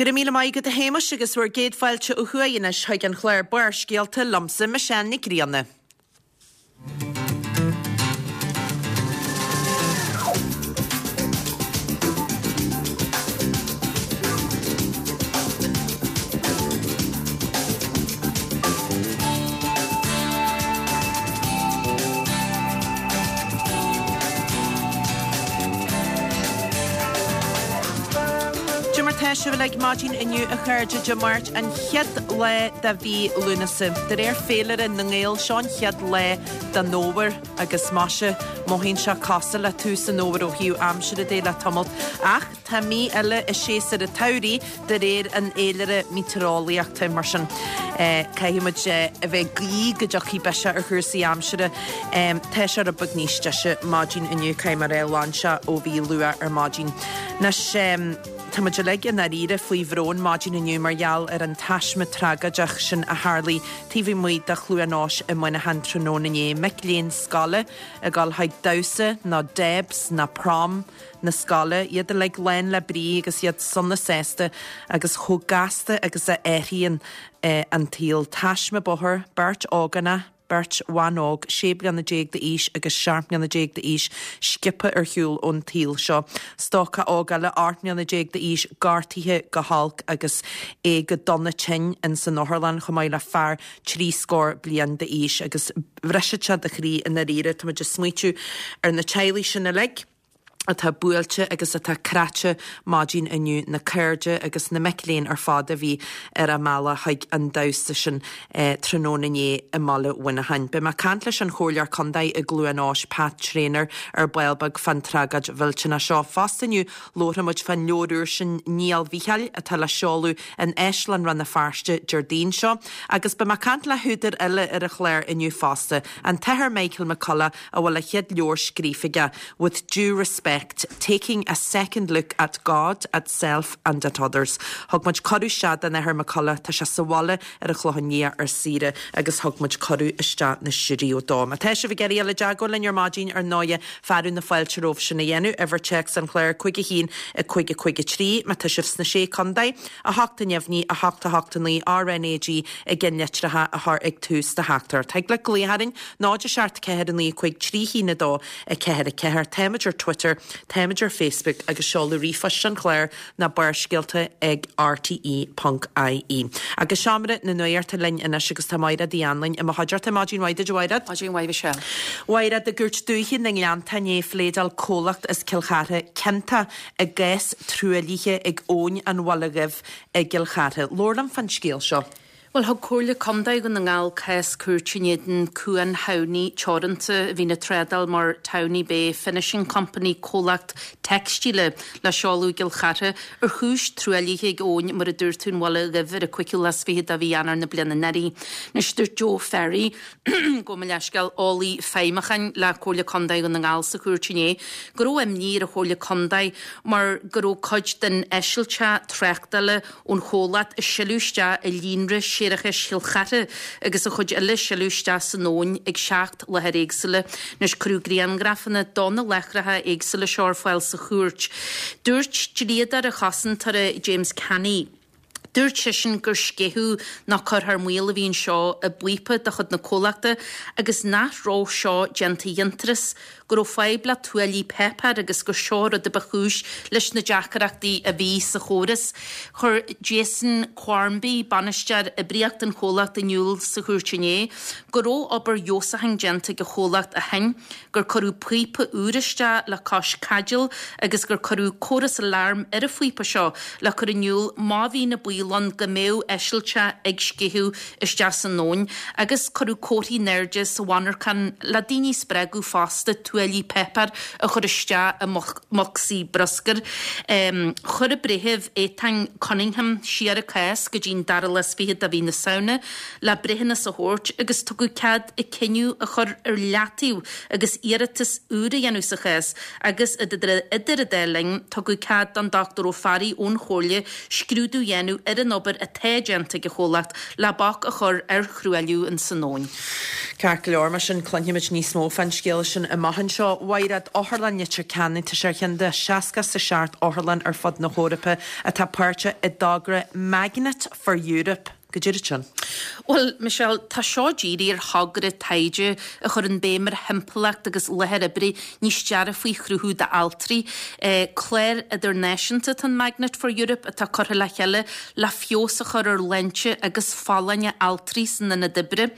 Go raibh míle maith agat a Shéamais agus bhur gcéad fáilte ó thuaidh anois chuig an chlár Barrscéalta liomsa, Michelle Nic Grianna. Cad é mar tá sibh uilig maidin inniu a chairde, Dé Máirt an chéad lá de mhí Lúnasa. De réir féilire na nGael, seo an chéad lá den fhómhar agus maise, mothaíonn sé cosúil le tús an fhómhair ó thaobh aimsire de le tamalt. Ach tá mí eile i séasúr an tsamhraidh de réir an fhéilire meitéareolaíochta. Mar sin, caithfidh muid a bheith ag guí go dtiocfaidh biseach ar chúrsaí aimsire. Tá sé rud beag níos deise maidin inniu, caithfidh mé a rá, lean sé ó bhí luath ar maidin. Anois, tá muid uilig i ndáiríre faoi bhrón maidin inniu mar gheall ar an taisme tragóideach sin a tharlaigh taobh amuigh de Chluain Eois i Muineachán tráthnóna inné. Mic léinn scoile ag dul chuig damhsa nó Debs nó prom na scoile, iad uilig lán le brí agus iad sona sásta agus chomh gasta agus a athraíonn an tsaol. Taisme bóthair, beirt ógánach, beirt bhan óg, 16 bliana d'aois agus 17 mbliana d'aois, sciobtha ar shiúl ón tsaol seo. Stócach óg eile, 18 mbliana d'aois, gortaithe go holc agus é go dona tinn ins an otharlann, chomh maith le fear trí scór bliain d'aois agus bhrisfeadh sé do chroí i ndáiríre. Tá muid ag smaoitiú ar na teaghlaigh sin uilig. atá buailte agus atá cráite maidin inniu, na cairde agus na mic léinn ar fad a bhí ar a mbealach chuig an damhsa sin tráthnóna inné i mbaile Mhuineacháin. Beidh mé ag caint leis an Chomhairleoir Contae i gCluain Eois, Pat Traynor, ar ball beag fán tragóid mhillteanach seo. Fosta inniu labharfaidh muid fán leabhar úr sin Néal Mhichíl atá le seoladh in Áislann Rann na Feirste Déardaoin seo. Agus beidh mé ag caint le húdar eile ar an chlár inniu fosta, an tAthair Michael McCullough a bhfuil a chéad leabhar scríofa aige, With Due Respect, Taking a Second Look at God, at Self and at Others. Thug muid cuireadh isteach don Athair McCullough, tá sé sa bhaile ar an Chlochán Liath ar saoire agus thug muid cuireadh isteach na stiúideo dó. Má tá sibh ag iarraidh dul i dteagmháil linn ar maidin, ar ndóighe, fearadh na fáilte romhaibh sin a dhéanamh, uimhir téacs an chláir 5 1 5 5 3, má tá sibh sna Sé Contae, 8 neamhní, 8 8 9, RNAG i gceannlitreacha a chur ag tús do theachtaireacht. Thig leat glaoch orainn 0 7 4 9 5 3 1 2 4 4. Táimid ar Twitter, táimid ar Facebook agus seoladh ríomhphoist an chláir ná Barrscéalta ag rte ponc ie. Agus Seomra na Nuachta linn anois agus tá Maighread Uí Anluain i mo chuideachta. Maidin mhaith duit a Mhaighread. Maidin mhaith Michelle. Mhaighread, i gCúirt Dúiche na nGleannta inné phléadáil comhlacht as Cill Chartha ciontach i gcás truaillithe ag Abhainn an Bhaile Dhuibh i gCill Chartha. Labhair liom fán scéal seo. Bhuel, thug Comhairle Contae Dhún na nGall cás cúirte in éadan Cuan Thamhnaí Teoranta, a bhíonn ag trádáil mar Townie Bay Finishing Company, comhlacht teicstíle le seoladh i gCill Chartha, ar chúis truaillithe ag abhainn, mar a dúirt tú, an Bhaile Dhuibh ar an 25ú lá de mhí Eanáir na bliana anuraidh. Anois, dúirt Joe Ferry, gabh mo leithscéal, eolaí feidhmiúcháin le Comhairle Contae Dhún na nGall sa chúirt inné, go raibh imní ar an Chomhairle Contae mar go raibh cuid den eisilteach tráchtála ón chomhlacht ag sileadh isteach i líonra séarachais Chill Chartha agus an chuid eile ag sileadh isteach san abhainn ag 7 láthair éagsúla. Anois cuireadh grianghrafanna do na láithreacha éagsúla seo ar fáil sa chúirt. Dúirt dlíodóir an chosantóra James Canny, Dúirt seisean gur sceitheadh nó cur thar maoil a bhí anseo i bpíopa de chuid na comhlachta agus nach raibh seo déanta d'fhiontraíocht, go raibh fadhb le tuáillí páipéir agus gur seo rud a ba chúis leis na deacaireachtaí a bhí sa chóras. Chuir Jason Quarmby, bainisteoir oibríochta an chomhlacht in iúl sa chúirt inné go raibh obair fheabhsúcháin déanta ag an chomhlacht ó shin, gur cuireadh píopa úr isteach le cois caidéil agus gur cuireadh córas aláraim ar an phíopa seo le cur in iúl má bhí na baol ann go mbeadh eisilteach ag sceitheadh isteach san abhainn agus cuireadh comharthaí in airde sa mhonarchan le daoine a spreagadh fosta tuáillí páipéir a chur isteach i mbocsaí bruscair. Chuir an Breitheamh Ethan Cunningham siar an cás go dtí an dara lá is fichead de mhí na Samhna le breithiúnas a thabhairt agus tugadh cead an cinneadh a chur ar leataobh agus iarratas úr a dhéanamh sa chás agus idir an dá linn tugadh cead don Dr Ó Fearraigh ón Chomhairle scrúdú a dhéanamh ar an obair atá déanta ag an chomhlacht le bac a chur ar thruailliú ins an abhainn. Ceart go leor, mar sin cluinfimid níos mó fán scéal sin amach anseo. maidin seo. A Mhaighread, Otharlann Leitir Ceanainn, tá sé ar cheann de 67 otharlann ar fud na hEorpa atá páirteach i dtogra Magnet for Europe. Goidé sin. Bhuel, Michelle, tá seo dírithe ar thogra taighde a chuireann béim ar thimpeallacht agus láthair oibre níos dearfaí a chruthú d'altraí. Clár idirnáisiúnta atá in Magnet for Europe atá curtha le chéile le feabhas a chur ar shláinte agus folláine altraí san ionad oibre.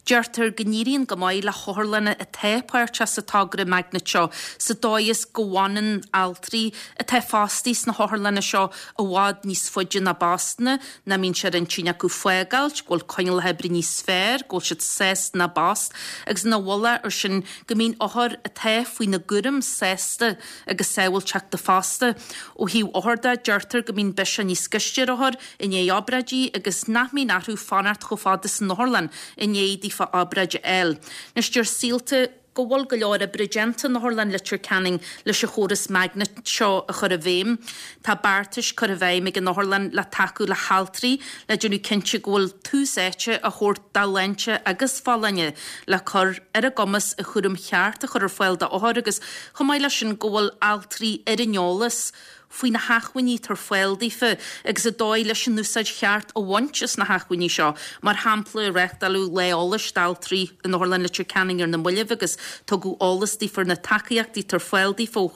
Deirtear go n-éiríonn go maith le hotharlanna atá páirteach sa togra Magnet seo sa dóigh is go bhfanann altraí atá fostaithe sna hotharlanna seo i bhfad níos faide ina bpostanna, nach mbíonn sé ar intinn acu fágáilt, go bhfuil coinníollacha oibre níos fearr, go bhfuil siad sásta ina bpost, agus ina mhullach ar sin go mbíonn othair atá faoina gcúram sásta agus sábháilteachta fosta. Ó thaobh othar de, deirtear go mbíonn biseach níos gaiste ar othair i ndiaidh obráidí agus nach mbíonn orthu fanacht chomh fada san otharlann i ndiaidh daofa obráid a fháil. Anois deir Saolta go bhfuil go leor oibre déanta in Otharlann Leitir Ceanainn leis an chóras Magnet seo a chur i bhfeidhm. Tá beartais curtha i bhfeidhm ag an otharlann le tacú le haltraí le déanamh cinnte go bhfuil tús áite á thabhairt dá shláinte agus folláine, le cur ar a gcumas an chúram cheart a chur ar fáil d'othair agus chomh maith leis sin go bhfuil altraí ar an eolas faoi na hacmhainní atá ar fáil daofa agus an dóigh leis an úsáid cheart a bhaint as na hacmhainní seo. Mar shampla, reáchtáladh lá eolais d'altraí in Otharlann Leitir Ceanainn ar na mallaibh agus tugadh eolas daofa ar na tacaíochtaí atá ar fáil daofa ó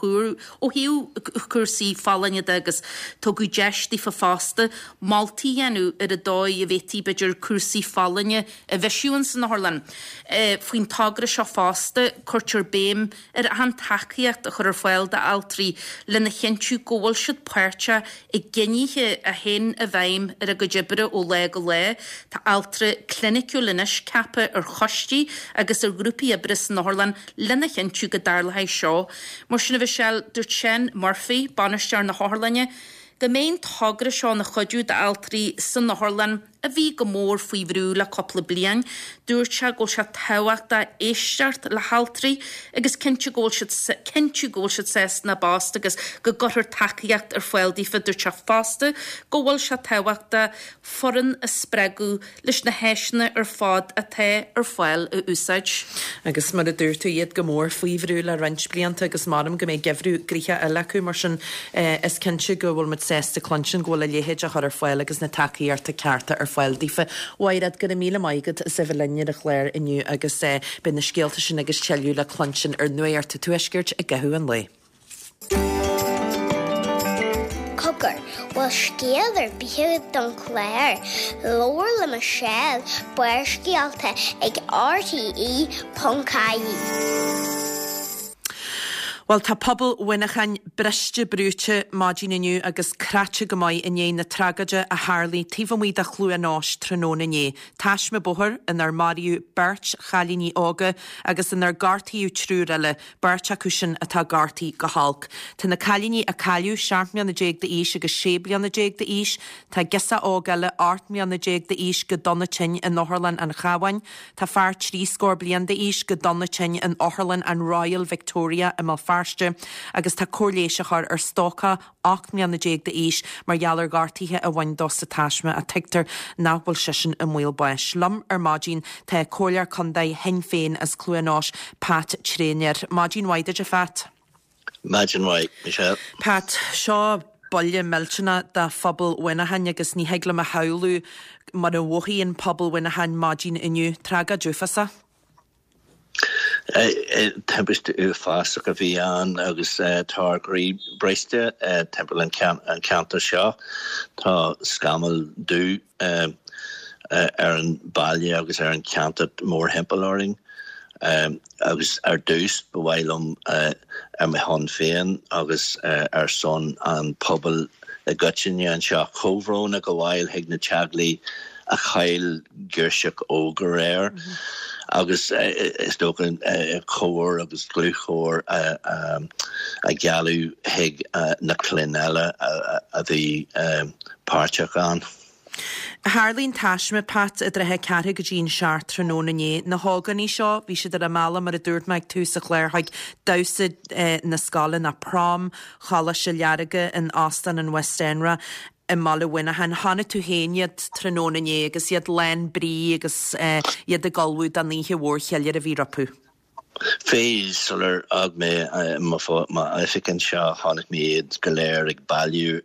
ó thaobh cúrsaí folláine de agus tugadh deis daofa fosta moltaí a dhéanamh ar an dóigh a bhféadfaí, b'fhéidir, cúrsaí folláine a bhisiú ins an otharlann. Faoin togra seo fosta, cuirtear béim ar achan tacaíocht a chur ar fáil d'altraí lena chinntiú go bhfuil siad páirteach i gcinnithe a théann i bhfeidhm ar a gcuid oibre ó lá go lá. Tá altra cliniciúil anois ceaptha ar choistí agus ar ghrúpaí oibre san otharlann lena chinntiú go dtarlóidh seo. Mar sin a Mhichelle, dúirt Seán Murphy, bainisteoir na hotharlainne, go mbeidh an togra seo ina chuidiú d'altraí san otharlann, a bhí go mór faoi bhrú le cúpla bliain. Dúirt sé go bhfuil sé tábhachtach éisteacht le haltraí agus cinntiú go bhfuil siad cinntiú go bhfuil siad sásta ina bpost agus go gcuirfear tacaíocht ar fáil daofa. Dúirt sé fosta go bhfuil sé tábhachtach foireann a spreagadh leis na háiseanna ar fad atá ar fáil a úsáid. Agus mar a dúirt tú, iad go mór faoi bhrú le roinnt blianta agus measaim go mbeidh geimhreadh gnoitheach eile acu, mar sin is cinnte go bhfuil muid sásta cluinstin go bhfuil a leithéid á chur ar fáil agus na tacaíochta cearta ar fáil daofa. Mhaighread, go raibh míle maith agat as a bheith linn ar an chlár inniu agus beidh na scéalta sin agus tuilleadh le cluinstin ar Nuacht an Tuaiscirt i gcaitheamh an lae. Cogar, bhfuil scéal ar bith agat don chlár? Labhair le Michelle, Barrscéalta ag RTE.ie. Bhuel, tá pobal Mhuineacháin briste brúite maidin inniu agus cráite go maith i ndiaidh na tragóide a tharlaigh taobh amuigh de Chluain Eois tráthnóna inné. Taisme bóthair inar maraíodh beirt chailíní óga agus inar gortaíodh triúr eile, beirt acu sin atá gortaithe go holc. Tá na cailíní a cailleadh 17 mbliana d'aois agus 16 bliana d'aois. Tá girseach óg eile 18 mbliana d'aois go dona tinn in Otharlann an Chabháin. Tá fear trí scór bliain d'aois go dona tinn in Otharlann an Royal Victoria i mBéal Feirste agus tá cóir leighis á chur ar stócach 18 mbliana d'aois mar gheall ar ghortuithe a bhain dó sa taisme ach tuigtear nach bhfuil seisean i mbaol báis. Liom ar maidin tá Comhairleoir Contae Shinn Féin as Cluain Eois, Pat Traynor. Maidin mhaith duit a Phat. Maidin mhaith, Michelle. Pat, seo buille millteanach do phobal Mhuineacháin agus ní thig liom a shamhlú mar a mhothaíonn pobal Mhuineacháin maidin inniu. Tragóid uafásach. Timpiste uafásach a bhí ann agus tá ár gcroí briste timpeall an cheantair seo. Tá scamall dubh ar an baile agus ar an cheantar mórthimpeall orainn. Agus ar dtús, ba mhaith liom ar mo shon féin agus ar son an phobail i gcoitinne anseo, comhbhrón a ghabháil chuig na teaghlaigh a chaill girseach óg aréir agus is dócha comhar agus dlúthchomhar a ghealladh chuig na clainn eile a bhí páirteach ann. Tharlaigh an taisme, Pat, i dtrátha ceathrú go dtí an seacht tráthnóna inné. Na hógánaigh seo, bhí siad ar a mbealach, mar a dúirt mé ag tús an chláir, chuig damhsa na scoile, nó prom Choláiste Learga in Óstán an Westenra i mbaile Mhuineacháin. Chonaic tú féin iad tráthnóna inné agus iad lán brí agus iad ag ullmhú don oíche mhór cheiliúir a bhí rompu. Bhí, sular fhág mé m'oifig anseo, chonaic mé iad go léir ag bailiú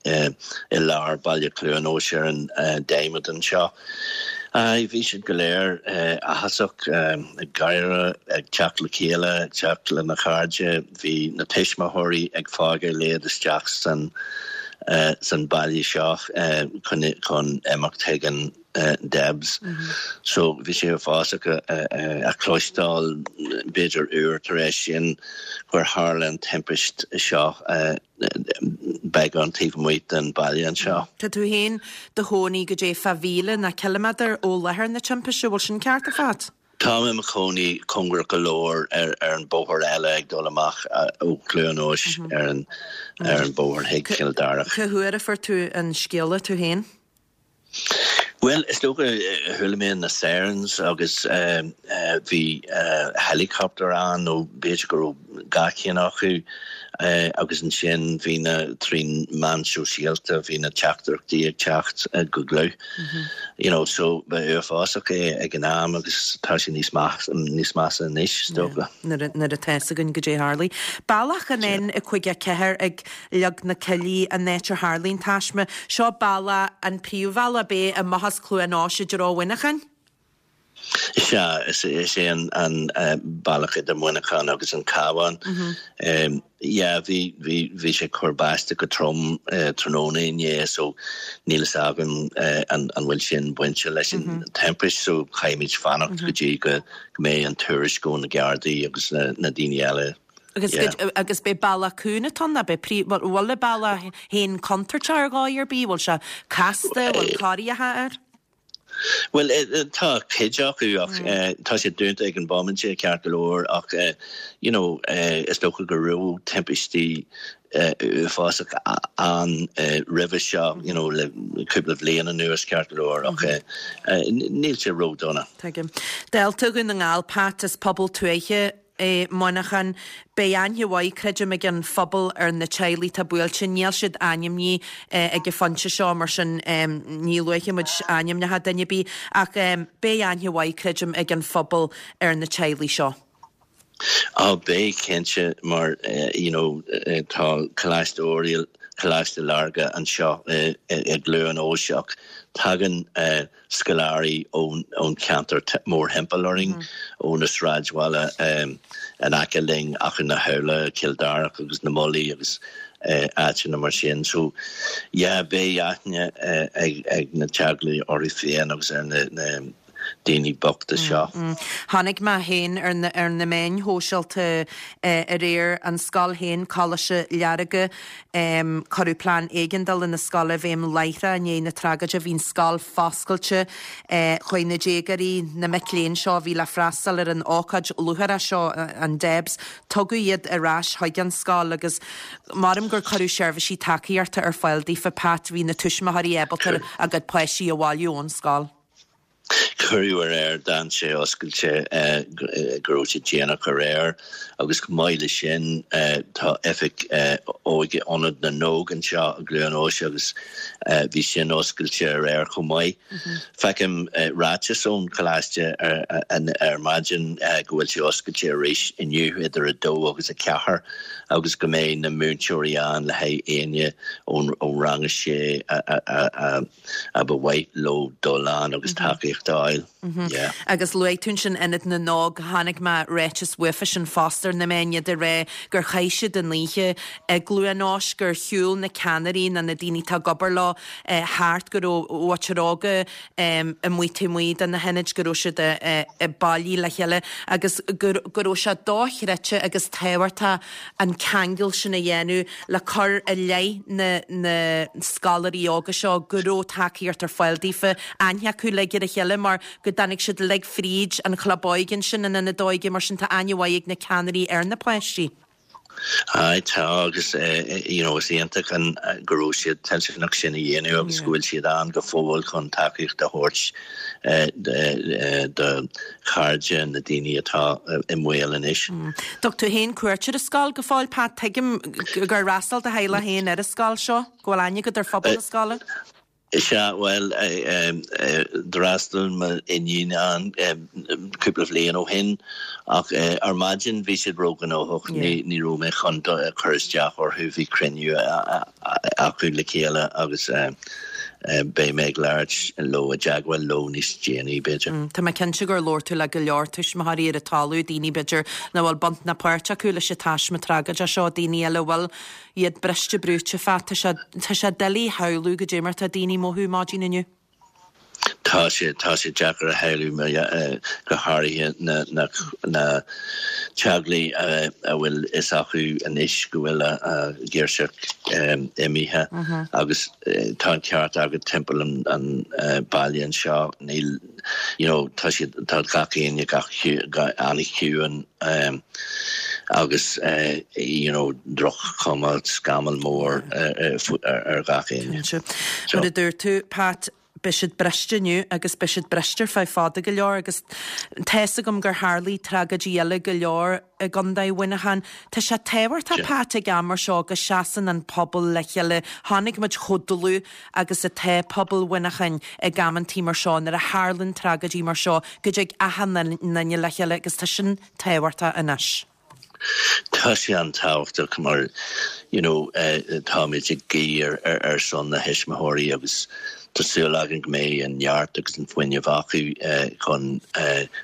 i lár Baile Chluain Eois ar an diamond anseo. Aye, bhí siad go léir áthasach, ag gáire, ag teacht le chéile, ag teacht lena chairde. Bhí na tuismitheoirí ag fágáil iad isteach san san baile seo chun imeacht chuig an Debs. So bhí sé uafásach a chloisteáil b'fhéidir uair tar éis sin gur tharla an timpist seo beagán taobh amuigh den baile anseo. Tá tú féin do chónaí goidé fá mhíle ná ciliméadar ó láthair na timpiste, bhfuil sin ceart a Phat? Táim i mo chónaí cóngarach go leor ar an bóthar eile ag dul amach ó Chluain Eois ar an bóthar chuig Cill Darach. Cá huair a fuair tú an scéala tú féin? Bhuel, is dócha, chuala mé na sirens agus bhí helicopter ann nó b'fhéidir go raibh gach ceann acu agus ansin bhí na, trí meán sóisialta, bhí na teachtaireachtaí ag teacht go dlúth. You know, so ba uafásach é ag an am agus tá sé níos níos measa anois, is dócha. Nuair atá fhios againn goidé a tharlaigh. Bealach an N54 ag Liog na Cillí, an áit ar tharlaigh an taisme. Seo bealach, an príomhbhealach, ab é, amach as Cluain Eois i dtreo Mhuineacháin? Is ea, is é an bealach idir Muineachán agus an Cabhán. Yeah, bhí, bhí, bhí sé ag cur báisteach go trom tráthnóna inné so níl fhios agam an bhfuil sin bainte leis an timpist so caithfimid fanacht go dtí go mbeidh an tuairisc ó na Gardaí agus na daoine eile. Agus Yeah. agus b'é bealach cúng atá ann, ab é príomh, bhfuil bhfuil an bealach féin contúirteach ar dhóigh ar bith, bhfuil sé casta, bhfuil corraíocha air? Bhuel, tá cuid acu ach tá sé dúnta ag an bhomaite ceart go leor ach you know is dócha go raibh timpistí uafásach ann roimhe seo you know le cúpla bhliain anuas ceart go leor ach níl sé ró-dona. Tuigim. Dálta Dhún na nGall, Pat, is pobal tuaithe é Muineachán. Beidh aithne mhaith, creidim, ag an phobal ar na teaghlaigh atá buailte. Níl siad ainmnithe ag an phointe seo, mar sin ní luafaidh muid ainmneacha duine ar bith, ach beidh aithne mhaith, creidim, ag an phobal ar na teaghlaigh seo. Á, beidh, cinnte, mar you know tá Coláiste Oiriall, Coláiste Láirge anseo i gCluain Eois ach tagann scoláirí ón cheantar mórthimpeall orainn, ó na sráidbhaile in aice linn, Achadh na hAbhla, Cill Darach agus na Mullaí agus áiteanna mar sin. So, yeah, beidh aithne ag na teaghlaigh orthu féin agus ar na daoine bochta seo. Chonaic mé féin ar na ar na meáin shóisialta aréir an scoil féin, Coláiste Learga, Cuireadh plean éigeandála na scoile i bhfeidhm láithreach i ndiaidh na tragóide. Bhí an scoil foscailte. Chuaigh na déagóirí, na mic léinn seo a bhí le freastal ar an ócáid lúcháireach seo, an Debs, tugadh iad ar ais chuig an scoil agus maram gur cuireadh seirbhísí tacaíochta ar fáil daofa. Pat, bhí na tuismitheoirí ábalta a gcuid páistí a bhailiú ón scoil. Cuireadh aréir, d'fhan sé oscailte go raibh sé déanach aréir agus chomh maith le sin tá oifig óige Ionad na nÓg anseo i gCluain Eois agus bhí sin oscailte aréir chomh maith. Feicim ráiteas ón choláiste ar maidin go bhfuil sé oscailte arís inniu idir 2 agus 4 agus go mbeidh na múinteoirí ann le haghaidh éinne ón rang 6 a a ba mhaith leo dul ann agus tacaíocht a fháil. Yeah. Agus luaigh tú ansin Ionad na nÓg, chonaic mé ráiteas uafa sin fosta ar na meáin, iad ag rá gur chaith siad an oíche i gCluain Eois, gur shiúil na ceannairí nó na daoine atá ag obair leo thart, go raibh muintir óga amuigh taobh amuigh de na hionaid, go raibh siad bailithe le chéile agus go raibh sé dochreidte agus tábhachtach an ceangal sin a dhéanamh le cur i leith na na scoláirí óga seo go raibh tacaíocht ar fáil daofa, aithne acu uilig ar a chéile mar go dtáinig siad uilig fríd an chlub óige ansin, an ionad óige, mar sin tá aithne mhaith ag na ceannairí ar na páistí. Aye, tá agus you know is iontach an go raibh siad toilteanach sin a dhéanamh agus go bhfuil siad ann go fóill chun tacaíocht a thabhairt do chairde na daoine atá i mbaol anois. Dtug tú féin cuairt ar an scoil go fóill, Pat? Tuigim gur fhreastail do theaghlach féin ar an scoil seo, go bhfuil aithne agat ar phobal na scoile? Sea, bhuel, d'fhreastail m'iníon ann cúpla bhliain ó shin ach ar maidin bhí siad róghnóthach, ní raibh mé chun cur isteach orthu, bhí cruinniú acu le chéile agus beidh mé ag labhairt leo, i dteagmháil leo níos déanaí, b'fhéidir. Tá mé cinnte gur labhair tú le go leor tuismitheoirí ar an talamh, daoine b'fhéidir nach bhfuil baint ná páirt acu leis an taisme tragóideach seo, daoine eile a bhfuil. Iad briste brúite fá. Tá sé, tá sé doiligh a shamhlú goidé mar atá daoine ag mothú maidin inniu. Tá sé, tá sé deacair a shamhlú, go háirithe na, na, na teaghlaigh a bhfuil fhios acu anois go bhfuil a, a ngirseach imithe agus tá an ceart agat timpeall an, an baile anseo níl, you know, tá siad, tá gach éinne gach an-chiúin agus you know, droch-chuma, scamall mór ar gach éinne. Mar a dúirt tú, Pat, beidh siad briste inniu agus beidh siad briste ar feadh fada go leor agus tá fhios agam gur tharlaigh tragóidí eile go leor i gContae Mhuineacháin. Tá sé tábhachtach, Pat, ag am mar seo go seasann an pobal le chéile. Chonaic muid chomh dlúth agus atá pobal Mhuineacháin ag amantaí mar seo, nuair a tharlann tragóidí mar seo, go dtig achan nduine le chéile agus tá sin tábhachtach anois. Tá sé an-tábhachtach mar you know táimid ag guí ar son na thuismitheoirí agus tá súil againn go mbeidh an neart agus an fuinneamh acu chun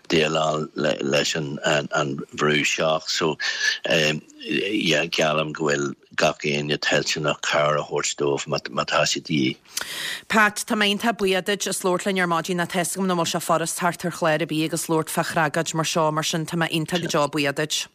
déileáil leis an bhrú seo. So yeah geallaim go bhfuil gach éinne toilteanach cabhair a thabhairt dóibh má tá sé de dhíth. Pat, tá mé iontach buíoch duit as labhairt linn ar maidin. Tá fhios agam nach bhfuil sé furast theacht ar chlár ar bith agus labhairt fá thragóid mar seo, mar sin tá mé iontach go deo buíoch duit.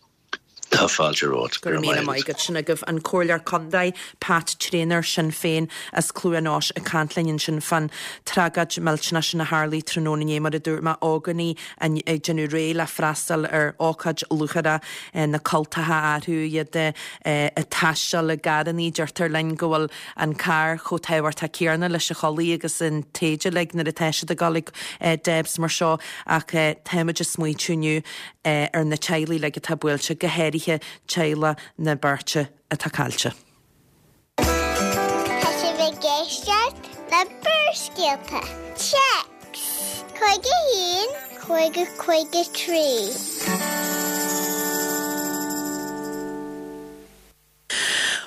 Tá fáilte romhat. Go raibh míle maith agat. Sin agaibh an Comhairleoir Contae, Pat Traynor, Sinn Féin as Cluain Eois ag caint linn ansin fán tragóid millteanach sin a tharlaigh tráthnóna inné mar a dúirt mé, ógánaigh ag déanamh réidh le freastal ar ócáid lúcháireach na cultacha orthu, iad ag taisteal i gcarrannaí. Deirtear linn go bhfuil an carr chomh tábhachtach céanna leis an chulaith agus an t-éide uilig nuair atá siad ag dul ag Debs mar seo ach táimid ag smaoitiú inniu ar na teaghlaigh uilig atá buailte, go háirithe teaghlach na beirte atá caillte. Tá sibh ag éisteacht le Barrscéalta. Téacs 51 50 53.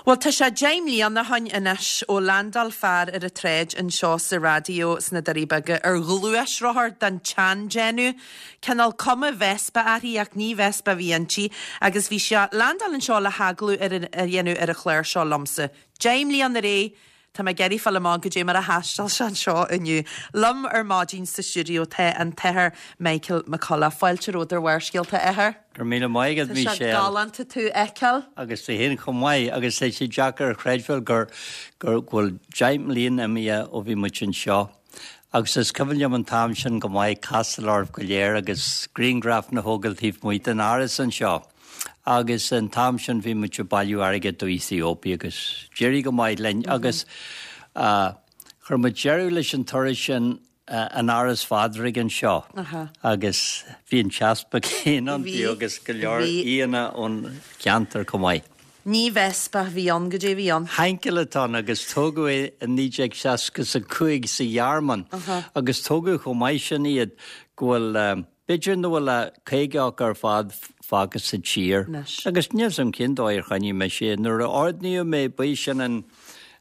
Bhuel, tá sé 10 mbliana ó shoin anois ó landáil fear ar an tsráid anseo sa raidió sna Doirí Beaga ar ghluaisrothar den tseandéanamh, cineál cuma Vespa uirthi ach ní Vespa a bhí inti, agus bhí sé ag landáil anseo le hagallamh a dhéanamh ar an chlár seo liomsa. 10 mbliana ar aghaidh Tá mé ag iarraidh fáil amach goidé mar a thaistil sé anseo inniu. Liom ar maidin sa stiúideo tá an tAthair Michael McCullough. Fáilte romhat ar Bharrscéalta, a Athair. Go raibh míle maith agat, Tá sé Michelle. galánta tú a fheiceáil. Agus tú féin chomh maith. Agus tá sé deacair a chreidbheáil gur, gur, go bhfuil 10 mbliana imithe ó bhí muid anseo. Agus is cuimhin liom an t-am sin go maith, castáil oraibh go léir agus grianghrafanna a thógáil taobh amuigh den áras anseo. Agus an t-am sin bhí muid ag bailiú airgid do Ethiopia agus d'éirigh go maith linn agus chuir muid deireadh leis an turas sin in Áras Phádraig anseo agus bhí an t-easpag féin ann fiú agus go leor aíonna ón cheantar chomh maith. Ní Vespa a bhí ann, goidé a bhí ann. Heinkel atá ann agus tógadh é i 1965 sa Ghearmáin agus tógadh chomh maith sin iad go bhfuil B'fhéidir nach bhfuil ach 50 acu ar fad fágtha sa tír. Agus níl 'fhios a'm cén dóigh ar choinnigh mise é. Nuair a ordaíodh mé, ba é sin an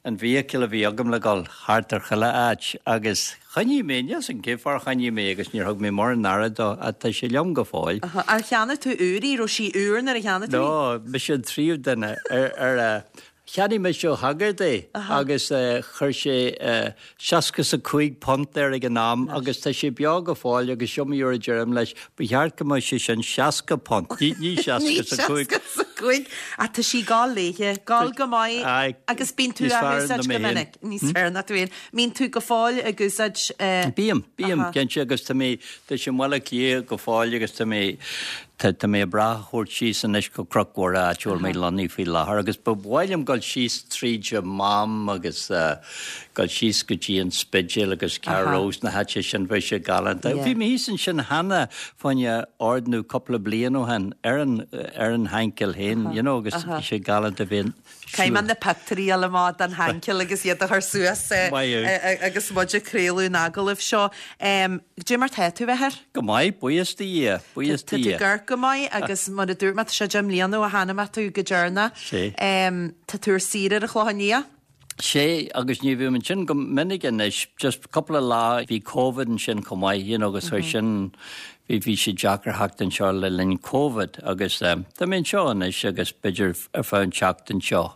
an vehicle a bhí agam le dhul thart ar chuile áit agus choinnigh mé, níl 'fhios a'm cén fáth ar choinnigh mé agus níor thug mé mórán aire dó ach tá sé liom go fóill. Ar cheannaigh tú úr í? Raibh sí úr nuair a cheannaigh tú í? No, mise an tríú duine ar a Cheannaigh mise ó shagart é agus chuir sé £65 air ag an am agus tá sé beo go fóill agus is iomaí uair a deirim leis, ba cheart go mbeadh sé sin £60, ní 65. 65! Ach tá sí ag gabháil léithe, gabháil go maith agus bíonn tú á húsáid go minic. Níos fearr ná tú féin. Mbíonn tú go fóill ag úsáid. Bím, bím, cinnte agus tá mé, tá sé i mBaile Átha Cliath go fóill agus tá mé. Tá mé ag brath a thabhairt síos anois go Cnoc Mhuire, áit a bhfuil mé lonnaithe faoi láthair, agus ba mhaith liom dul síos tríd an Mám agus dul síos go dtí an Spidéal agus Carrose, na háite sin, bheadh sé galánta. Bhí mé thíos ansin cheana fá choinne ordnú cúpla bliain ó shin ar an ar an Shankill féin, you know, agus bhí sé galánta bheith Caithfidh mé na pictiúirí a fháil amach den Shankill agus iad a chur suas agus muid ag craoladh an agallaimh seo. Cad é mar tá tú, a Athair? Go maith, buíochas do Dhia, buíochas do Tá tú Dhia. ag amharc go maith agus mar a dúirt mé, tá sé 10 mbliana ó chonaic mé tú go deireanach. Sé. Tá tú ar saoire ar an Chlochán Liath? Sé, agus ní bhím ansin go minic anois, just cúpla lá, bhí Covid ansin chomh maith, you know, agus chuir sin, bhí, bhí sé deacair theacht anseo le linn Covid agus tá mé anseo anois agus b'fhéidir ar feadh an tseachtain seo.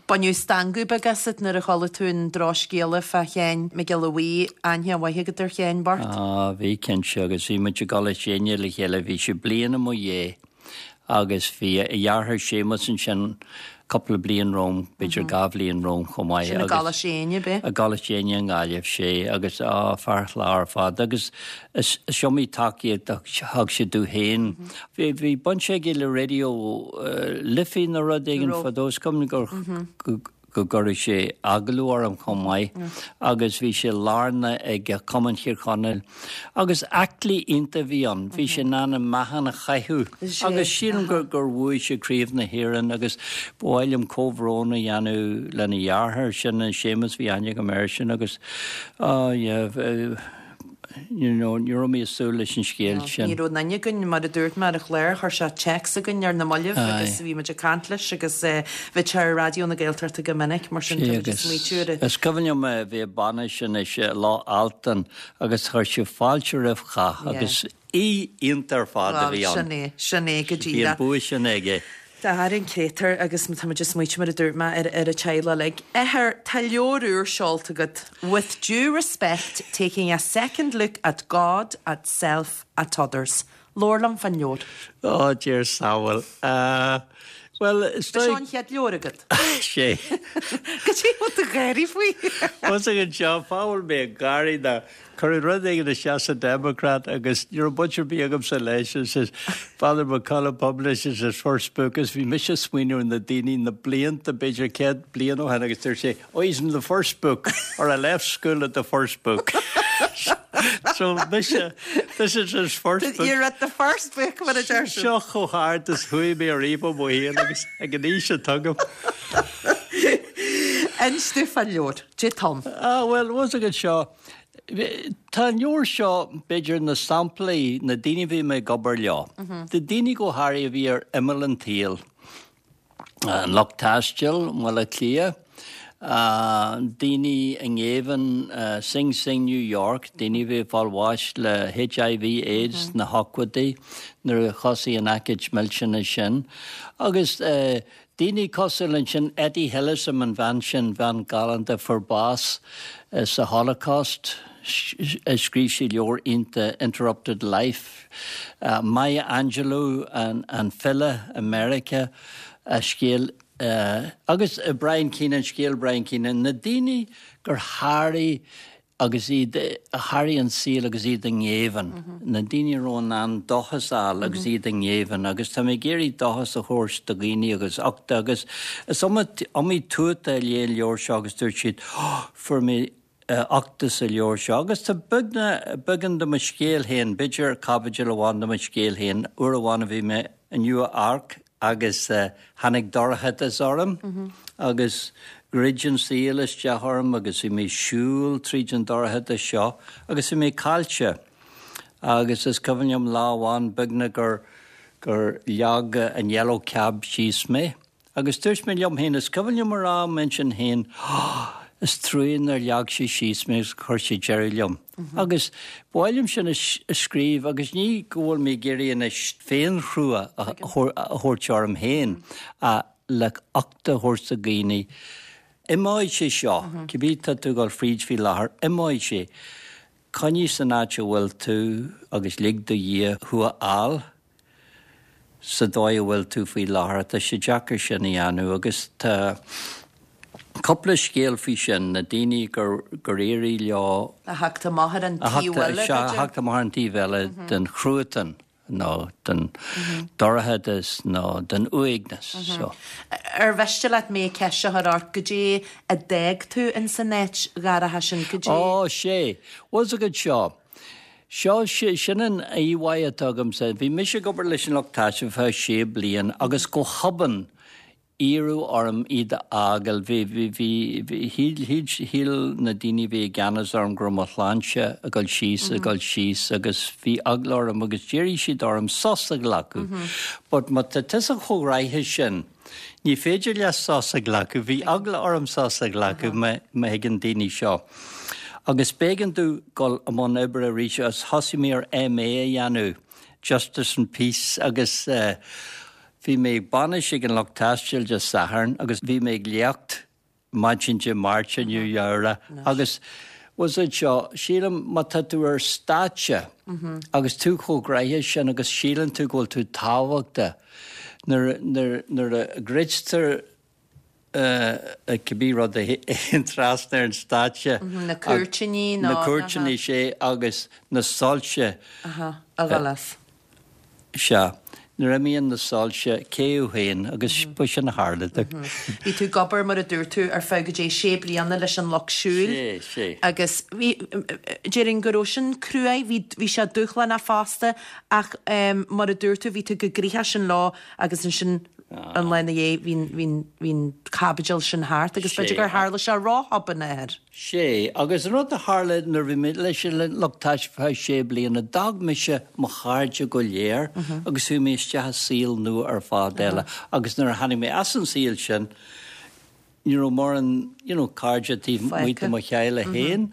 Baineadh stangadh beag asat nuair a chuala tú an drochscéala fá Sheáin Mac Giolla Bhuí, aithne mhaith agat ar Sheáin bocht? Á, bhí cinnte, agus bhí muid i gColáiste Éinne le chéile, bhí sé bliain i mo dhiaidh. Agus bhí a dheartháir Séamus ansin cúpla bliain romham, b'fhéidir 2 bhliain romham chomh maith. Sin i gColáiste Éinne, ab ea? I gColáiste Éinne i nGaillimh, sé, agus á, fear chláir ar fad. Agus is iomaí tacaíocht a thug sé domh féin. Bhí, bhí baint aige le Raidió Life nó rud éigin fadó, is cuimhin gur, go gcuireadh sé agallamh orm chomh maith agus bhí sé lárnach ag Cumann Thír Chonaill agus aclaí iontach a bhí ann, bhí sé in ann an meáchan a chaitheamh agus sílim gur gur bhuaigh sé Craobh na hÉireann agus ba mhaith liom comhbhrón a dhéanamh lena dheartháir sin, Séamus, bhí aithne agam air sin agus ah yeah you know, ní raibh mé ag súil leis an scéal sin. Ní raibh aon duine againn, mar a dúirt mé ar an chlár, chuir sé téacs chugainn ar na mallaibh agus bhí muid ag caint leis agus bhí sé ar Raidió na Gaeltachta go minic, mar sin tá muid ag smaoitiú ar a. Is cuimhin liom bhí bainis anois i Loch Altan agus chuir sé fáilte roimh chách agus aoi iontach ar fad a bhí ann. Sin é, sin é go díreach. Bhí an bua sin aige. Tá ar an créatúr agus tá muid ag smaoitiú mar a dúirt mé ar ar an teaghlach uilig. Athair, tá leabhar úr seolta agat, With due respect, taking a second look at God, at self, at others. Labhair liom fán leabhar. Ó, dear samhail. Bhuel, is dóigh. Seo an chéad leabhar agat. Sé. Cad é a bhfuil tú ag gáirí faoi? Thosaigh anseo, fáth a bhfuil mé ag gáirí ná Cuireadh rud éigin isteach sa Democrat agus ní raibh baint ar bith agamsa leis and says Father McCullough publishes his first book agus bhí mise ag smaoineamh ar na daoine na blianta, b'fhéidir 100 bliain ó shin agus dúirt sé oh he's in the first book or I left school at the first book. So mise, this is his first book. You're at the first book mar a deir siad. Seo chomh hard is chuaigh mé ariamh i mo shaol agus ag an aois atá agam. Inis domh fán leabhar. Dé Tom. Ah, bhuel, bhfuil a fhios agat seo, tá an leabhar seo, b'fhéidir, na samplaí, na daoine a bhí mé ag obair leo, na daoine go háirithe a bhí ar imeall an tsaoil, an lucht taistil i mBaile Átha Cliath, daoine i ngéibheann, Sing Sing, New York, daoine a bhí ag fáil bháis le HIV, AIDS sna hochtóidí nuair a thosaigh an aicíd millteanach sin, agus Daoine cosúil ansin Etty Hillesum, an bhean sin, bhean galánta a fuair bás sa Holocaust, scríobh sí leabhar iontach Interrupted Life. Maya Angelou, an file i Meiriceá, a scéal agus Brian Keane, an scéal Brian Keane, na daoine gur sháraigh agus iad a sháraigh an saol agus iad i ngéibheann, na daoine a raibh in ann dóchas a fháil agus iad i ngéibheann agus tá mé ag iarraidh dóchas a thabhairt do dhaoine agus uchtach agus is iomaí tuata a léigh an leabhar seo agus dúirt siad oh fuair mé uchtach sa leabhar seo agus tá beagán de mo scéal féin, b'fhéidir caibidil amháin de mo scéal féin, uair amháin a bhí mé i Nua Eabhrac agus tháinig dorchadas orm agus dhruid an saol isteach orm agus bhí mé ag siúl tríd an dorchadas seo agus bhí mé caillte. Agus is cuimhin liom lá amháin beagnach gur gur leag an yellow cab síos mé agus dúirt mé liom féin, is cuimhin liom a rá i m'intinn féin, oh, is trua nár leag sé síos mé agus chuir sé deireadh liom. Agus ba mhaith liom sin a scríobh agus ní go bhfuil mé ag iarraidh anois féinthrua a thabhairt orm féin ach le uchtach a thabhairt do dhaoine. Imeoidh sé seo, cibé tá tú ag dul fríd faoi láthair, imeoidh sé. Coinnigh san áit a bhfuil tú agus lig do Dhia thú a fháil. sa dóigh a bhfuil tú faoi láthair. Tá sé deacair sin a dhéanamh agus tá cúpla scéal faoi sin, na daoine gur gur éirigh leo. A theacht amach ar an taobh eile, b'fhéidir. A theacht amach ar an taobh eile den chruatan. nó den dorchadas nó den uaigneas. So. Ar mhiste leat mé ceist a chur ort, goidé a d'fhág tú ins an áit dhorcha sin, goidé. Ó, sé. Bhfuil 's agat seo. Seo, sin an íomhá atá agamsa. Bhí mise ag obair leis an lucht taistil ar feadh sé bliain agus go hobann iarradh orm iad a fhágáil. Bhí, bhí, bhí, bhí, shíl, shíl, shíl na daoine a bhí i gceannas orm go raibh mo shláinte ag dul síos, ag dul síos agus bhí eagla orm agus d'iarr siad orm sos a ghlacadh. But má tá tusa chomh gnoitheach sin, ní féidir leat sos a ghlacadh. Bhí eagla orm sos a ghlacadh má, má thuigeann daoine seo. Agus b'éigean domh dul i mbun oibre arís agus thosaigh mé ar MA a dhéanamh, Justice and Peace agus eh, Bhí mé ag bainis ag an lucht taistil Dé Sathairn agus bhí mé ag léacht maidin Dé Máirt i Nua Eabhrac agus bhfuil 's agat seo, sílim má tá tú ar stáitse agus tú chomh gnoitheach sin agus síleann tú go bhfuil tú tábhachtach nuair, nuair, nuair a dhruidtear cibé rud a théann trasna ar an stáitse. Na cúirtíní nó. Na cúirtíní, sea, agus na soilse. A dhul as. Sea. Nuair a imíonn na soilse, cé thú féin? Agus ba sin a tharla domh. Bhí tú ag obair, mar a dúirt tú, ar feadh goidé sé bliana leis an Lucht Siúil. Sé, sé. Agus bhí, déarfainn go raibh sin cruaidh, bhí, bhí sé dúshlánach fosta ach mar a dúirt tú, bhí tú chomh gnoitheach sin leo agus ansin an lá ina dhiaidh bhí an, bhí an caibidil sin thart agus b'fhéidir gur tharla sé ró-thobann, a Athair. Sé, agus an rud a tharla nuair a bhí mé leis an lucht taistil ar feadh sé bliana, d'fhág mise mo chairde go léir agus chuaigh mé isteach i saol nua ar fad eile agus nuair a tháinig mé as an saol sin, ní raibh mórán you know cairde taobh amuigh de mo theaghlach féin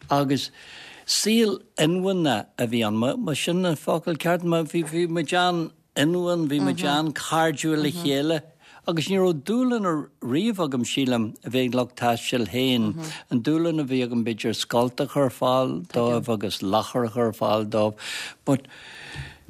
agus saol inmheánach a bhí ann, má sin an focal ceart, bhí, bhí muid an, ionúin, bhí muid an-chairdiúil le chéile agus ní raibh dúshlán riamh agam, sílim, a bheith ag lucht taistil féin. An dúshlán a bhí agam b'fhéidir scoilt a chur ar fáil dóibh agus ladhar a chur ar fáil dóibh but.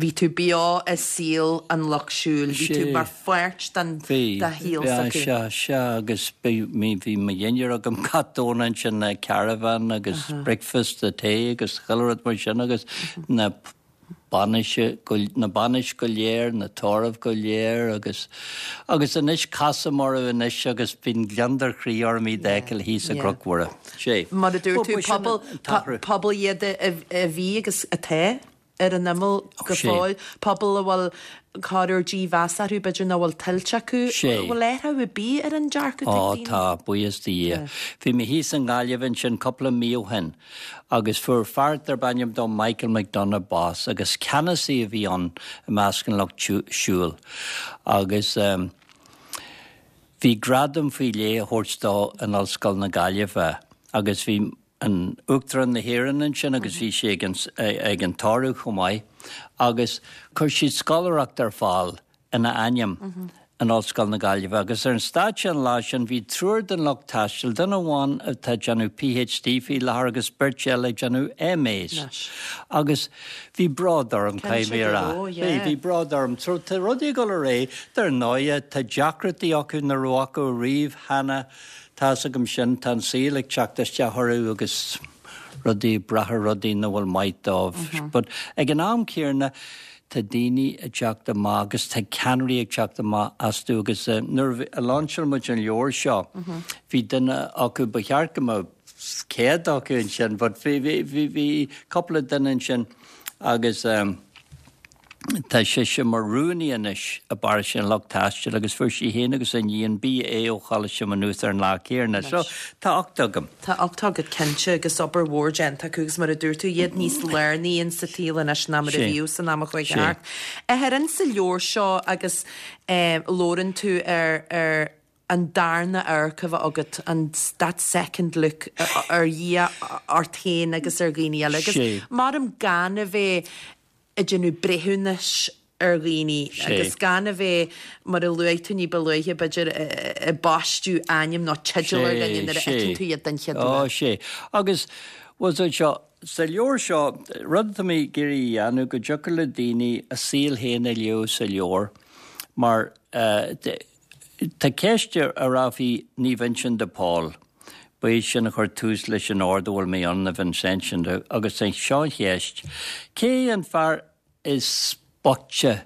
Bhí tú beo i saol an lucht siúil, bhí tú mar pháirt den shaol s'acu. Sea, sea, agus bhí mo dhinnéar agam gach Domhnach ansin, na caravan agus breakfast, the tae agus chuile rud mar sin agus na bainise, na bainis go léir, na tórraimh go léir agus, agus anois casaim orthu anois agus bíonn gliondar chroí orm iad a fheiceáil thíos i gCnoc Mhuire. Sé. Mar a dúirt tú, pobal, pobal iad a bhí agus atá ar an imeall go fóill, pobal a bhfuil corruair dímheas orthu, b'fhéidir nach bhfuil tuillte acu. Sé. An bhfuil athrú ar bith ar an dearcadh atá ag daoine? Ó tá, buíochas do Dhia. Bhí mé thíos i nGaillimh ansin cúpla mí ó shin Agus fuair fear darb ainm dó Michael McDonagh bás agus ceannasaí a bhí ann i measc an lucht siúil. Agus bhí gradam faoi leith á thabhairt dó in Ollscoil na Gaillimhe agus bhí an Uachtarán na hÉireann ansin agus bhí sé ag an ag an tórramh chomh maith agus chuir siad scoláireacht ar fáil ina ainm in Ollscoil na Gaillimhe agus ar an stáitse an lá sin bhí triúr den lucht taistil, duine amháin atá ag déanamh PhD faoi láthair agus beirt eile ag déanamh MAs. Agus bhí bród orm, caithfidh mé a rá. Bhí, bhí bród orm. So tá rudaí ag dul ar aghaidh, dar ndóighe, tá deacrachtaí acu nach raibh acu riamh cheana, tá's agam sin, tá an saol ag teacht isteach orthu agus rudaí, ag brath ar rudaí nach bhfuil maith dóibh. But ag an am céanna, Tá daoine ag teacht amach agus tá ceannairí ag teacht amach astu agus nuair a lainseáil muid an leabhar seo bhí duine acu, ba cheart go mbeadh 100 acu ansin but bhí, bhí, bhí cúpla duine ansin agus tá sise mar rúnaí anois i bparóiste an Lucht Taistil agus fuair sí féin agus a iníon BA ó Choláiste Mhaigh Nuad ar an lá céanna. So tá ucht agam. Tá ucht agat cinnte agus obair mhór déanta acu agus mar a dúirt tú, iad níos lárnaí in sa tsaol anois ná mar a bhíodh san am a chuaigh thart. Athair, in sa leabhar seo agus labhrann tú ar ar an darna amharc a bheith agat, an that second look ar Dhia ort féin agus ar dhaoine eile agus maram gan a bheith ag déanamh breithiúnais ar dhaoine agus gan a bheith, mar a luaigh tú ní ba luaithe, b'fhéidir, ag baisteadh ainm nó teideal ar dhuine nuair a fheiceann tú iad den chéad uair. Ó, sé. Agus, bhuel, so seo, sa leabhar seo, rud atá mé ag iarraidh a dhéanamh, go dtiocfadh le daoine a saol féin a léamh sa leabhar, mar tá ceist a rá faoi Naomh Uinseann de Pól, ba é sin a chuir tús leis an ord a bhfuil mé ann, na Vincentians, agus seo an cheist, cé an fear is. boichte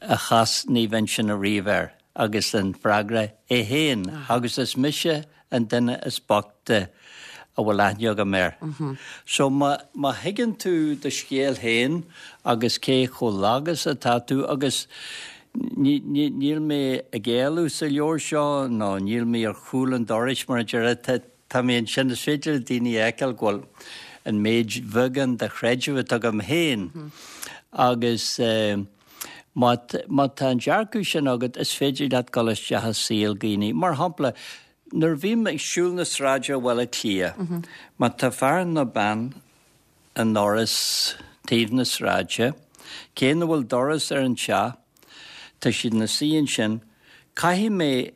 a chas Naomh Uinseann ariamh air? Agus an freagra, é féin, agus is mise an duine is boichte a bhfuil aithne agam air. So má má thuigeann tú do scéal féin agus cé chomh lag is atá tú agus ní ní níl mé ag éalú sa leabhar seo nó níl mé ar chúl an dorais mar a déarfá, tá mé ansin, is féidir le daoine a fheiceáil go bhfuil an méid bheagán de chreideamh atá agam féin agus má má tá an dearcadh sin agat is féidir leat dul isteach i saol dhaoine. Mar shampla, nuair a bhím ag siúl na sráide i Bhaile Átha Cliath, má tá fear nó bean i ndoras taobh na sráide, cé nach bhfuil doras ar an teach, tá siad ina suí ansin, caithfidh mé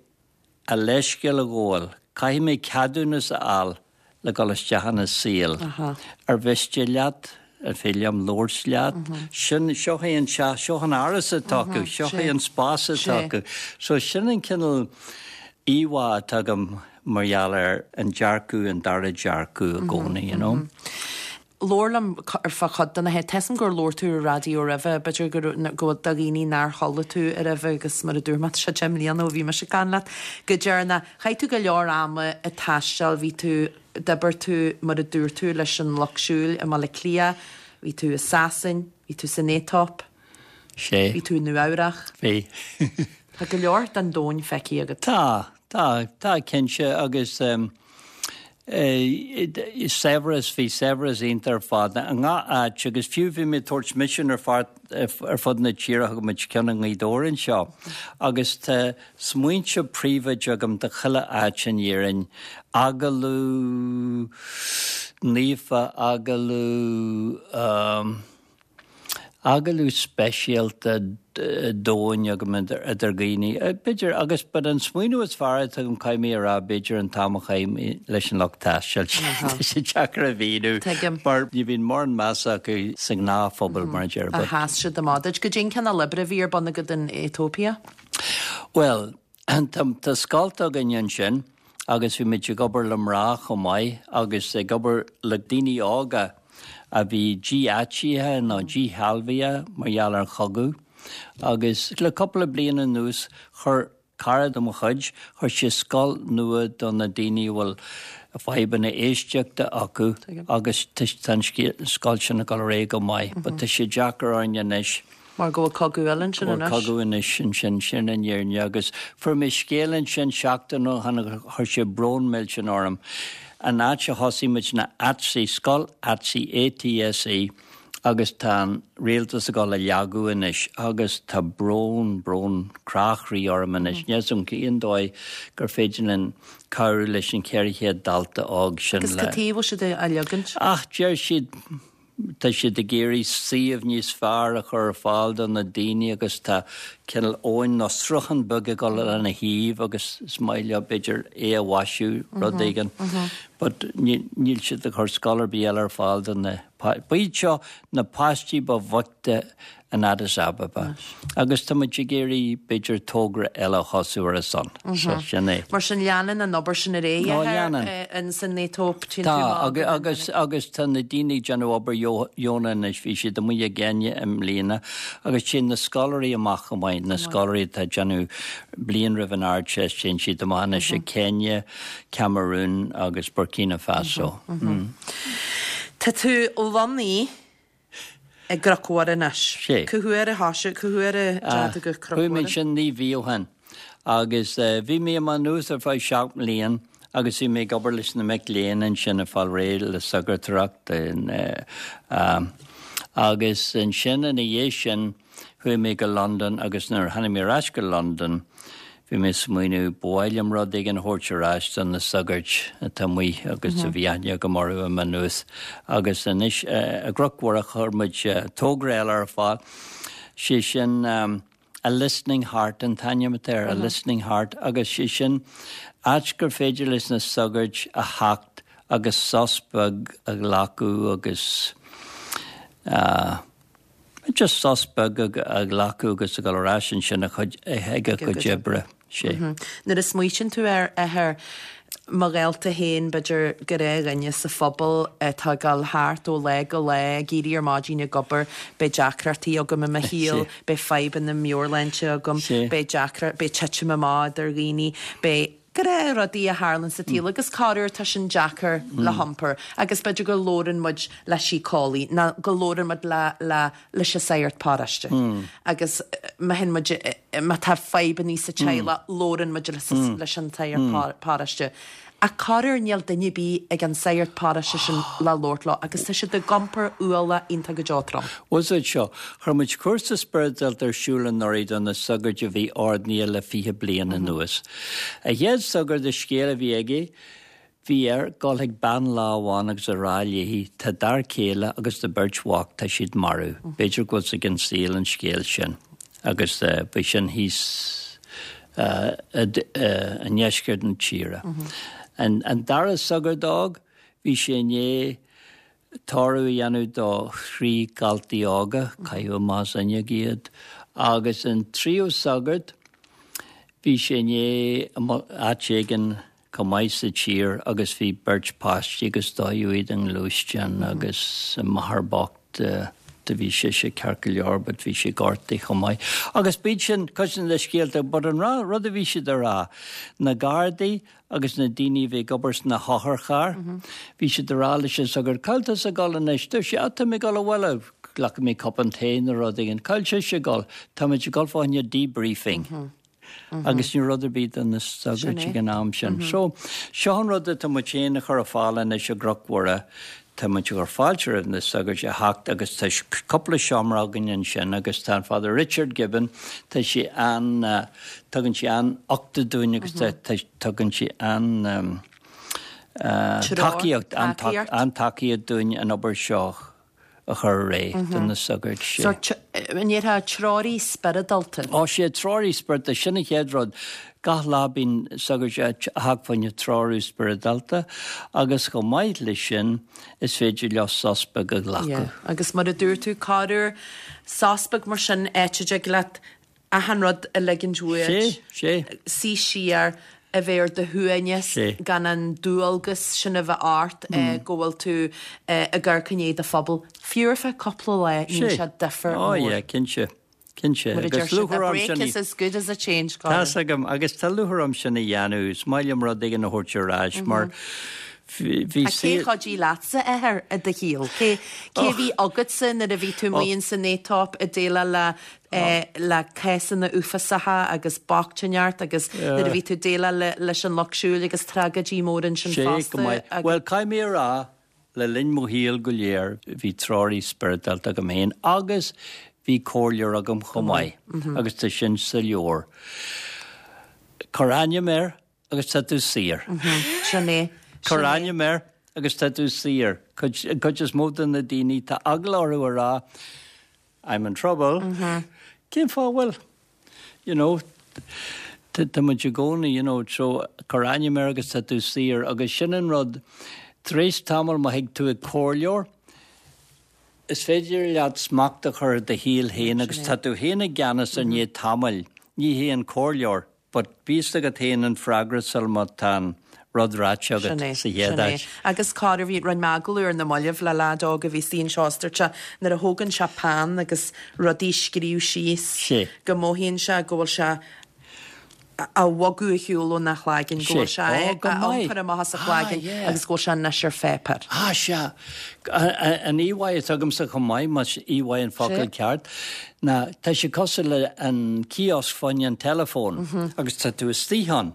a leithscéal a ghabháil, caithfidh mé ceadúnas a fháil le dul isteach ina saol. Ar mhiste leat, an féidir liom labhairt leat? Sin, seo é an teach, seo an áras atá acu, seo é an spás atá acu. So sin an cineál íomhá atá agam mar gheall ar an dearcadh, an dara dearcadh i gcónaí, you know. Labhair liom ar fá chuid de na he, tá 'fhios a'm gur labhair tú ar raidió roimhe, b'fhéidir go raibh, go bhfuil do dhaoine nár chuala tú roimhe agus mar a dúirt mé, tá sé 10 mbliana ó bhí mise ag caint leat go deireanach. Chaith tú go leor ama ag taisteal, bhí tú, d'oibir tú mar a dúirt tú leis an Lucht Siúil i mBaile Átha Cliath, bhí tú i Sasain, bhí tú san Aetóip, Sé. bhí tú i Nua Eabhrach. Bhí. Tá go leor den domhan feicthe agat. Tá, tá, tá cinnte agus eh, saibhreas, bhí saibhreas iontach ar fad i ngach áit agus fiú bhí mé ag tabhairt misean ar fad ar fud na tíre, thug muid ceann i nGaoth Dobhair anseo agus tá smaointe príobháideacha agam do chuile áit in Éirinn, agallamh naofa, agallamh. Agallamh speisialta domhain agam idir dhaoine, b'fhéidir, agus but an smaoineamh is fearr atá agam, caithfidh mé a rá, b'fhéidir an t-am a chaith mé leis an lucht taistil, tá sé deacair a mhíniú mar ní bhíonn mórán measa acu sa ghnáthphobal, mar a déarfá. But. Sheas siad amach duit. Goidé an cineál oibre a bhí ar bun agat in Aetóipia? Bhuel, Tá scoilt againn ansin agus bhí muid ag obair le mná chomh maith agus ag obair le daoine óga a bhí dí-áitithe nó díshealbhaithe mar gheall ar an chogadh. Agus le cúpla bliain anuas chuir cara de mo chuid, chuir sé scoil nua do na daoine a bhfuil fadhbanna éisteachta acu agus tá an scoil sin ag dul ar aghaidh go maith but tá sé deacair orainn anois. Mar go bhfuil cogadh eile ansin anois. Go bhfuil cogadh anois ansin, sin an fhírinne. Agus fuair mé scéal ansin seachtain ó shin agus chuir sé brón millteanach orm. An áit a thosaigh muid ná ATSE, Scoil ATSE, A-T-S-E, agus tá an rialtas ag dul á leagadh anois agus tá brón, brón, crá chroí orm anois. Níl 'fhios a'm cén dóigh gur féidir linn cabhrú leis an 400 dalta óg sin le. Agus cad chuige a bhfuil siad á leagaint? Ach deir siad Tá siad ag iarraidh suíomh níos fearr a chur ar fáil do na daoine agus tá cineál abhainn nó sruthán beag ag dul lena thaobh agus is maith leo b'fhéidir é a mhaisiú, rud éigin. But níl siad ag cur scoil ar bith eile ar fáil do na, ba iad seo na páistí ba bhoichte in Addis Ababa agus tá muid ag iarraidh b'fhéidir togra eile a thosú ar a son. So sin é. Mar sin leanann an obair sin ar aghaidh Ó leanann. in san Aetóip Tá agus agus agus tá na daoine ag déanamh obair dheonach anois bhí siad amuigh i gCéinia i mbliana agus téann na scoláirí amach chomh maith, na scoláirí atá ag déanamh bliain roimh an Ardteist téann siad amach anois i Kenya, Cameroon agus Burkina Faso. Tá tú lonnaithe i gCnoc Mhuire anois. Sé. Cá huair a thosaigh, cá huair a d'fhág tú go Cnoc Mhuire? Chuaigh mé ansin 9 mhí ó shin agus bhí mé i Maigh Nuad ar feadh 7 mblian agus bhí mé ag obair leis na mic léinn ansin ag fáil réidh le sagartóireacht agus ansin ina dhiaidh sin Chuaigh mé go Londain agus nuair a tháinig mé ar ais go Londain bhí mé ag smaoineamh ba mhaith liom rud éigin a thabhairt ar ais do na sagairt atá amuigh agus a bhí aithne agam orthu i Maigh Nuad agus anois i gCnoc Mhuire chuir muid togra eile ar fáil, sé sin A Listening Heart an t-ainm atá air, A Listening Heart agus sé sin áit gur féidir leis na sagairt a theacht agus sos beag a ghlacadh agus Just sos beag a ghlacadh agus a dhul ar ais ansin ag a gcuid oibre. Sé. Nuair a smaoitíonn tú air, a Athair, mo ghaolta féin, b'fhéidir gnáthdhuine sa phobal atá ag dul thart ó lá go lá, ag éirí ar maidin ag obair, beidh deacrachtaí agam i mo shaol, beidh fadhbanna meabhairshláinte agam, beidh deacra, beidh titim amach idir dhaoine, beidh gnáthrudaí a tharlann sa tsaol agus corruair tá sin deacair le hiompar agus b'fhéidir go labhrann muid le síceolaí nó go labhrann muid le, le, leis an sagart paróiste agus má théann muid, má tá fadhbannaí sa teaghlach, labhrann muid leis an tsagart paróiste. Ach corruair níl duine ar bith ag an sagart paróiste sin le labhairt leo agus tá siad ag iompar ualach iontach go deo trom. Bhuel is é seo, chuir muid cúrsa spioradálta ar siúl anuraidh do na sagairt a bhí ordainithe le 20 bliain anuas. An chéad sagart an scéal a bhí aige, Bhí air dul chuig bean lá amháin agus a rá léi, tá d'fhear céile agus do bheirt mhac, tá siad marbh. B'fhéidir go bhfuil 's ag an saol an scéal sin. Agus bhí sin thíos i ndeisceart na tíre. An dara sagart óg, bhí sé i ndiaidh tórramh a dhéanamh do thrí dhaltaí óga, caitheadh amach as an fhuinneog iad, agus an tríú sagart, bhí sé i ndiaidh áit éigin chomh maith sa tír agus bhí beirt páistí agus dódh iad i ngluaisteán agus an máthair bocht do bhí sise ceart go leor but bhí sí gortaithe chomh maith. Agus b'iad sin cuid de na scéalta but an rud a bhí siad a rá, na gardaí agus na daoine a bhí ag obair sna hotharchairr, bhí siad a rá leis an sagart, cá bhfuil tusa ag dul anois? Dúirt sé, ah tá mé ag dul abhaile, glacfaidh mé cupán tae nó rud éigin. Cá bhfuil sise ag dul? Tá muid ag dul fá choinne debriefing. Agus ní raibh rud ar bith do na sagairt ag an am sin. So, seo an rud atá muid féin a chur ar fáil anois i gCnoc Mhuire. Tá muid ag cur fáilte roimh na sagairt a theacht agus tá cúpla seomra againn ansin agus tá an Father Richard Gibbon, tá sé an, tugann sé an-uchtach dúinn agus tugann sé an tacaíocht, an-tacaíocht dúinn an obair seo a chur ar aghaidh do na sagairt. Sea. Sórt, an ndéarfá, treoraí spioradálta. Ó sea, treoraí spioradálta, sin an chéad rud. Gach lá bíonn sagairt ag teacht fá choinne treorú spioradálta agus chomh maith leis sin is féidir leo sos beag a ghlacadh. Yeah, agus mar a dúirt tú, corruair, sos beag mar sin, áit a dtig leat achan rud a ligint uait, Sea, sea. suí siar, a bheith ar do shuaimhneas, Sea. gan an dualgas sin a bheith ort go bhfuil tú ag amharc i ndiaidh do phobal, fiú ar feadh cúpla lá, níl Sea. sé difear Ó mór. yeah, cinnte. Cinnte. Mar a deir Agus siad, a lúcháir orm break sin is as good as a change, Colin. Tá's agam, agus tá lúcháir orm sin a dhéanamh. Is maith liom rud éigin a thabhairt ar ais mar bhí Ach cé chuidigh leatsa, a Athair, i do shaol? Cé cé a bhí agatsa nuair a bhí tú amuigh ins an éatóip ag déileáil le le cásanna uafásacha agus bochtaineacht agus nuair a bhí tú ag déileáil leis an lucht siúil agus tragóidí móra ansin Sea, go fosta maith. agus. Bhuel, caithfidh mé a rá, le linn mo shaoil go léir, bhí treoraí spioradálta agam féin agus bhí comhairleoir agam chomh maith agus tá sin sa leabhar. Cuir ainm air agus tá tú saor. Sin é. Cuir ainm air agus tá tú saor. Cuid, cuid is mó de na daoine, tá eagla orthu a rá, I'm in trouble. Cén fáth a bhfuil? You know, tá muid i gcónaí, you know, so cuir ainm air agus tá tú saor. Agus sin an rud, tar éis tamaill má thig tú ag comhairleoir, is féidir leat smacht a chur ar do shaol féin agus tá tú féin i gceannas i ndiaidh tamaill, ní hé an comhairleoir. But bíos agat féin an freagra sul má tá an rud ráite agat Sin é, sa chéad sin é. áit. Agus corruair bhí, rinne mé agallamh ar na mallaibh le leaid óg a bhí istigh anseo is dúirt sé nuair a thógann sé peann agus rudaí a scríobh síos Sé. go mothaíonn sé go bhfuil sé á bhogadh ar shiúl óna chlaigeann, go Sé. bhfuil sé Ó, á go maith. iompar amach as a Ah, chlaigeann yeah. agus go bhfuil sé anois ar pháipéar. Ah, sea. An íomhá atá agamsa chomh maith, más íomhá an focal Sé. ceart, ná tá sé cosúil le an kiosk fá choinne an teileafóin agus tá tú istigh ann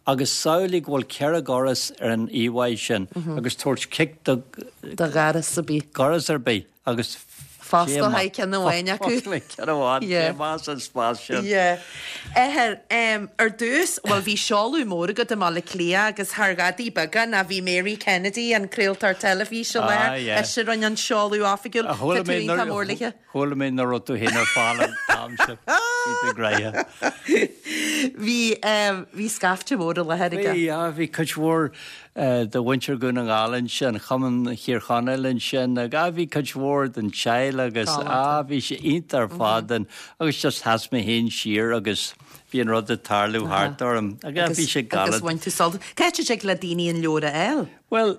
agus samhlaigh go bhfuil ceithre dhoras ar an íomhá sin agus tabhairt cic do Do dhoras ar bith. dhoras ar bith agus Fosclóidh ceann amháin acu. Fosclóidh ceann amháin, Yeah. téigh amach as an spás sin. Yeah. Athair, em, ar dtús, bhuel bhí seoladh mór agat i mBaile Átha Cliath agus thar ghadaí beaga ná bhí Mary Kennedy, an craoltóir teilifíse i Ah, láthair, yeah. ise a rinne an seoladh oifigiúil. A chuala Tá tú mé iontach nuair- mór léithe. Chuala mé nach raibh tú féin ar fáil an t-am sin. Bhí tú gnoitheach. Bhí, bhí scaifte mór i láthair aige. Bhí, ah, bhí cuid mhór de mhuintir Dhún na nGall ansin, Chumann Thír Chonaill ansin, agus ah, bhí cuid mhór den teaghlach agus ah, bhí sé iontach ar fad agus just sheas mé féin siar agus bhí an rud ag tarlú thart orm agus bhí sé galánta. Agus bhain tú sult. Cá háit a dtig le daoine an leabhar a fháil? Bhuel,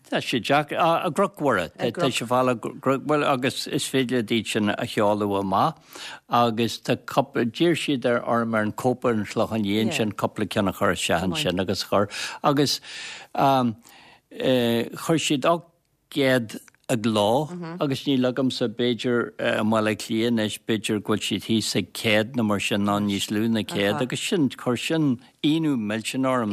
tá sé deacair, i gCnoc Mhuire, tá sé le fáil i gCnoc, bhuel agus is féidir le iad sin a sheoladh amach agus tá cúpla, d'iarr siad ar orm ar an Cope ar an Chlochán Liath ansin cúpla ceann a chur isteach ansin agus chuir agus chuir siad 800 i gcló agus níl agamsa, b'fhéidir i mBaile Átha Cliath anois, b'fhéidir go bhfuil siad thíos ag 100 nó mar sin nó níos lú ná 100 agus sin, chuir sin ionadh millteanach orm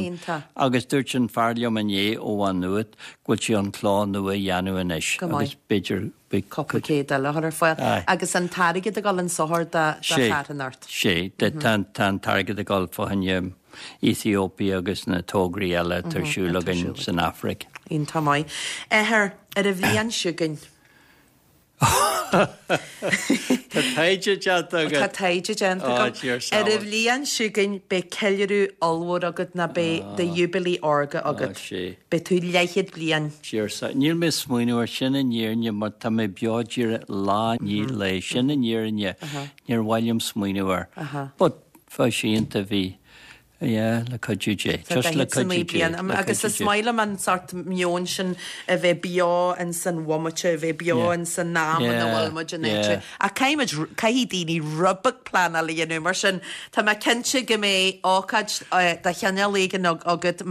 agus dúirt an fear liom inné ó Mhá Nuad go bhfuil sé chun cló nua a dhéanamh anois agus b'fhéidir beidh cúpla céad eile a chur ar fáil agus an t-airgead ag dul in sochar do charthanacht. Sé, tá an t-airgead ag dul fá choinne Ethiopia agus na tograí eile atá ar siúl againn san Afraic. Iontach maith. Athair, ar an bhliain seo chugainn. Tá taighde déanta agat. Tá taighde déanta agam. Ar an bhliain seo chugainn beidh ceiliúradh ollmhór agat nó beidh do Júibilí Órga agat. Beidh tú leathchéad bliain. Níl mé ag smaoineamh air sin an fhírinne mar tá mé beo díreach lá i ndiaidh lae. Sin an fhírinne. Níor mhaith liom smaoineamh air. But Bheadh sé iontach, bhí, yeah, le cuidiú Dé. Just le cuidiú Dé, le Agus is maith liom an sórt meon sin a bheith beo in san bhomaite, a bheith beo in san am ina bhfuil muid in áit. Ach caithfidh muid, caithfidh daoine rud beag pleanáil a dhéanamh mar sin tá mé cinnte go mbeidh ócáid de chineál éigin agat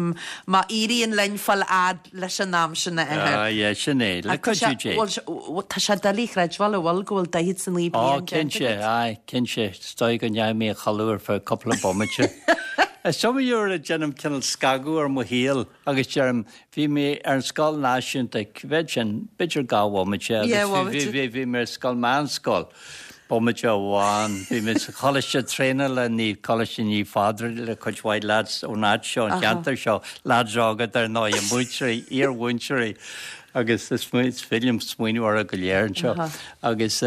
má éiríonn linn fáil fhad leis an am sin a Athair. Ah yeah, sin é, le cuidiú Dé. Bhuel, tá sé doiligh a chreidbheáil, an bhfuil, go bhfuil 49 bliain déanta agat? Cinnte, aye, cinnte. Is dóigh go ndeachaigh mé a chodladh ar feadh cúpla bomaite. Is iomaí uair a déanaim cineál scagadh ar mo shaol agus deirim, bhí mé ar an scoil náisiúnta, cá mhéad sin, b'fhéidir 2 bhomaite agus bhí mé ar scoil meánscoil. Bomaite amháin, bhí mé sa choláiste traenála, ní, Coláiste Naomh Phádraig le cuid mhaith lads ón áit seo, an cheantar seo, lads óga dar ndóigh, múinteoirí, iar-mhúinteoirí agus is féidir liom smaoineamh orthu go léir anseo. Agus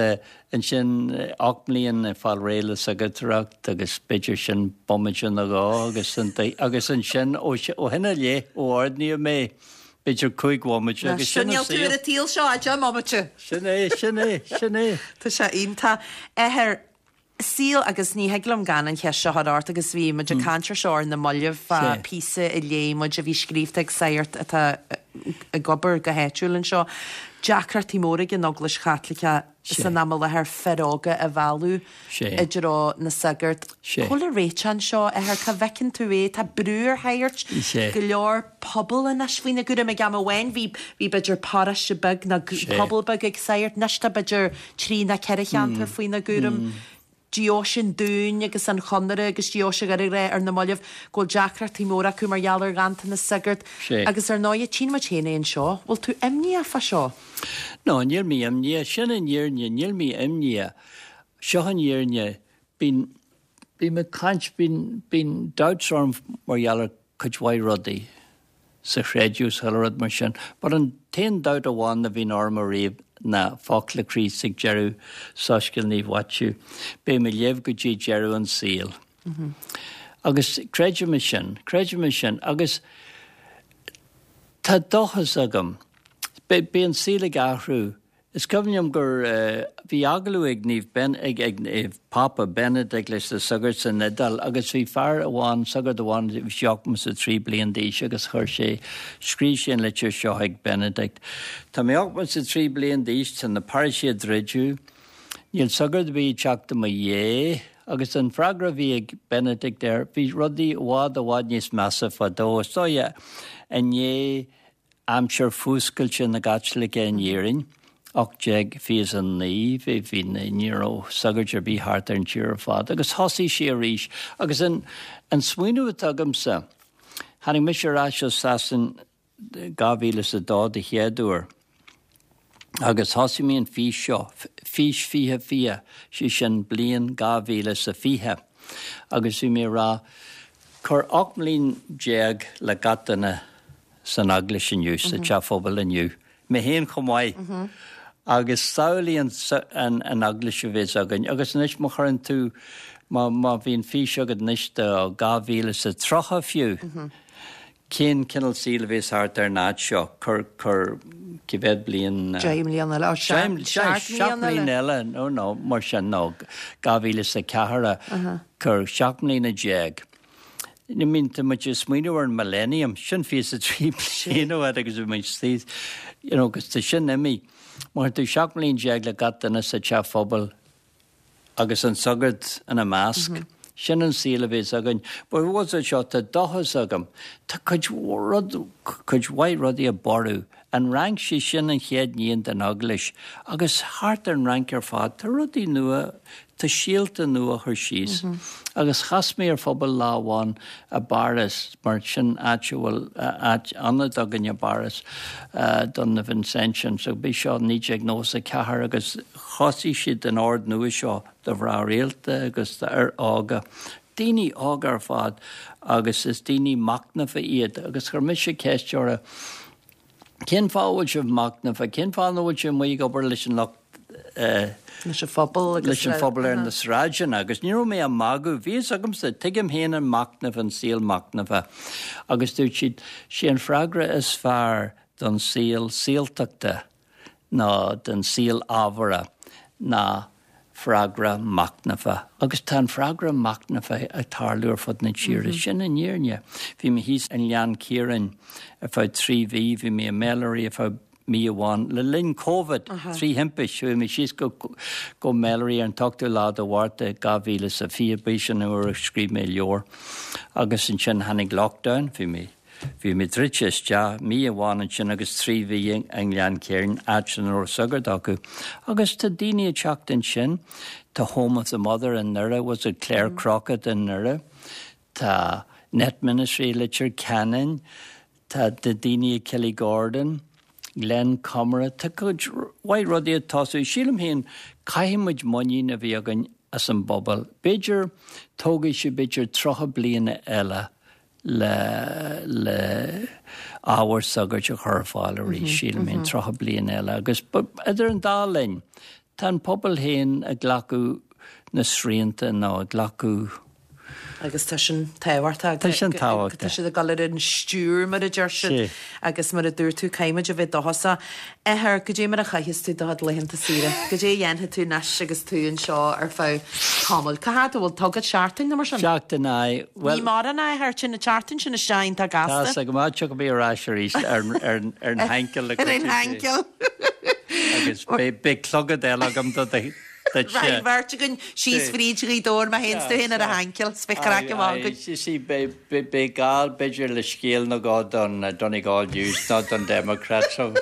ansin 8 mbliain ag fáil réidh le sagartóireacht agus b'fhéidir sin bomaite nó dhó agus agus ansin ó shin i leith, ó ordnaíodh mé, B'fhéidir 5 bhomaite agus sin an saol. Níl tú ar an tsaol seo ach 10 mbomaite. Sin é, sin é, sin é. Tá sé iontach. Athair, saol agus ní thig liom gan an cheist seo a chur ort agus bhí muid ag caint ar seo ar na mallaibh fá píosa a léigh muid a bhí scríobhta ag sagart atá ag obair go háitiúil anseo. Deacrachtaí móra ag an Eaglais Chaitliceach san am i láthair fir óga a mhealladh i dtreo na sagart. Cá bhfuil an réiteach anseo, a Athair? Cá bhfeiceann tú é? Tá brú ar shagairt, go leor pobal anois faoina gcúram. Ag am amháin bhí bhí b'fhéidir paróiste beag nó pobal beag ag sagart, anois tá b'fhéidir trí nó ceithre cheantar faoina gcúram. Deoise an Dúin agus an Chonaire agus Deoise Dhoire ag rá ar na mallaibh go bhfuil deacrachtaí móra acu mar gheall ar ghanntanas sagart. Agus ar ndóighe, tchíonn muid féin é anseo. Bhfuil tú imníoch fá seo? No, níl mé imníoch. Sin an fhírinne, níl mé imníoch. Seo an fhírinne. Bíonn, bím ag caint, bíonn, bíonn doubts orm mar gheall ar cuid mhaith rudaí sa chreideamh, sa chuile rud mar sin. But an t-aon doubt amháin a bhíonn orm ariamh ná focla Chríost ag deireadh Soiscéal Naomh Mhaitiú, Beidh mé libh go dtí deireadh an saoil. Agus creidim é sin, creidim é sin. Agus tá dóchas agam. Beidh an saol ag athrú. Is cuimhin liom gur bhí agallamh ag Naomh Ben, ag ag Naomh Pápa Benedict leis na sagairt san Iodáil agus bhí fear amháin, sagart amháin, bhí sé 83 bliain d'aois agus chuir sé, scríobh sé an litir seo chuig Benedict. Tá mé 83 bliain d'aois, tá na paróistí ag druidiú, níl sagart ar bith ag teacht i mo dhiaidh agus an freagra a bhí ag Benedict air, bhí rudaí i bhfad, i bhfad níos measa fadó. Is dóigh i ndiaidh aimsir fuascailte na gCaitliceach in Éirinn, 1829, bhí, bhí, ní raibh sagairt ar bith thart ar an tír ar fad agus thosaigh sé arís. Agus an, an smaoineamh atá agamsa, tháinig mise ar ais ó Sasain 2002 de chéad uair agus thosaigh mé an fís seo, Fís 2020, sé sin bliain 2020 agus bhí mé ag rá, cuir 18 mbliain le gach duine san eaglais inniu, sa teach phobail inniu, mé féin chomh maith, agus samhlaigh an eaglais a bheas againn. Agus anois má chuireann tú. Má má bhíonn fís agat anois do 2030 fiú, cén cineál saoil a bhéas thart ar an áit seo? Cuir, cuir, cé mhéad bliain? 10 mbliana eile, 7 mbliana eile, nó nó mar sin, nó 2004, cuir 17 mbliana. I mean, tá muid ag smaoineamh ar an millennium, sin 23 bliain ó shin agus bhí muid istigh, you know, agus tá sin imithe. Má chuireann tú 17 mbliana le gach duine sa teach phobail agus an sagart ina measc, sin an saol a bhéas againn. But what's it seo, tá dóchas agam. Tá cuid rud, cuid mhaith rudaí ag borradh. An Fhrainc, sí sin an chéad níon den Eaglais, agus thart ar an Fhrainc ar fad, tá rudaí nua, tá síolta nua á chur síos. Agus chas mé ar phobal lá amháin i bPáras, mar sin áit a bhfuil áit, ionad againn i bPáras don na Vincentians, so b'é seo 1994 agus thosaigh siad an ord nua seo do mhná rialta agus d'fhir óga, daoine óga ar fad agus is daoine machnamha iad agus chuir mise ceist orthu, Cén fáth a bhfuil sibh machnamha? Cén fáth nach bhfuil sibh amuigh ag obair leis an lucht leis an phobal agus leis an phobal ar na sráideanna? Agus ní raibh mé á magadh, bhí fhios agamsa, tuigim féin an machnamh, an saol machnamha. Agus dúirt siad, sé an freagra is fearr don saol saoltachta ná don saol ábhartha ná freagra machnamha. Agus tá an freagra machnamha ag tarlú ar fud na tíre. Sin an fhírinne. Bhí mé thíos i nGleann Ciaráin ar feadh 3 mhí, bhí mé i Melleray ar feadh mí amháin le linn Covid, trí thimpist. Chuaigh mé síos go go Melleray ar an t-ochtú lá de Mhárta 2020, b'é sin an uair a scríobh mé leabhar. Agus ansin tháinig lockdown, bhí mé. Bhí mé druidte isteach mí amháin ansin agus 3 mhí i nGleann Ciaráin, áit nach raibh sagart acu. Agus tá daoine ag teacht ansin, tá Home of the Mother i nDoire, was it Claire Crockett i nDoire, tá Net Ministry i Leitir Ceanainn, tá daoine i Killygordon, Glen Comeragh, tá cuid mhaith rudaí ag tosú. Sílim féin, caithfidh muid muinín a bheith againn as an bpobal. B'fhéidir, tógfaidh sé b'fhéidir 30 bliana eile le le ábhar sagairt a chur ar fáil arís, sílim féin, 30 bliain eile. Agus idir an dá linn, tá an pobal féin ag glacadh na srianta nó ag glacadh. Agus tá sin tábhachtach. Tá sin tábhachtach. Tá siad ag dul ar an stiúir, mar a deir siad. Agus mar a dúirt tú, caithfimid a bheith dóchasach. Athair, goidé mar a chaitheas tú do chuid laethanta saoire? Goidé a dhéanfaidh tú anois agus tú anseo ar feadh tamaill? Cá fhad a bhfuil tú agat? Seachtain nó mar sin? Seachtain, aye. Bhuel. Ní mórán é, athair, téann an tseachtain sin isteach iontach gasta. Tá's agam, ah, tiocfaidh mé ar ais arís ar an hainceal le Ar an hainceal. Agus beidh clogad eile agam do do Raghaidh an bheirt againn síos fríd Ghaoth Dobhair, mé féin 's tú féin ar an hainceal, 's beidh craic amach againn. Aye, see, beidh gá b'fhéidir le scéal nó dhó don Donegal News nó don Democrat, so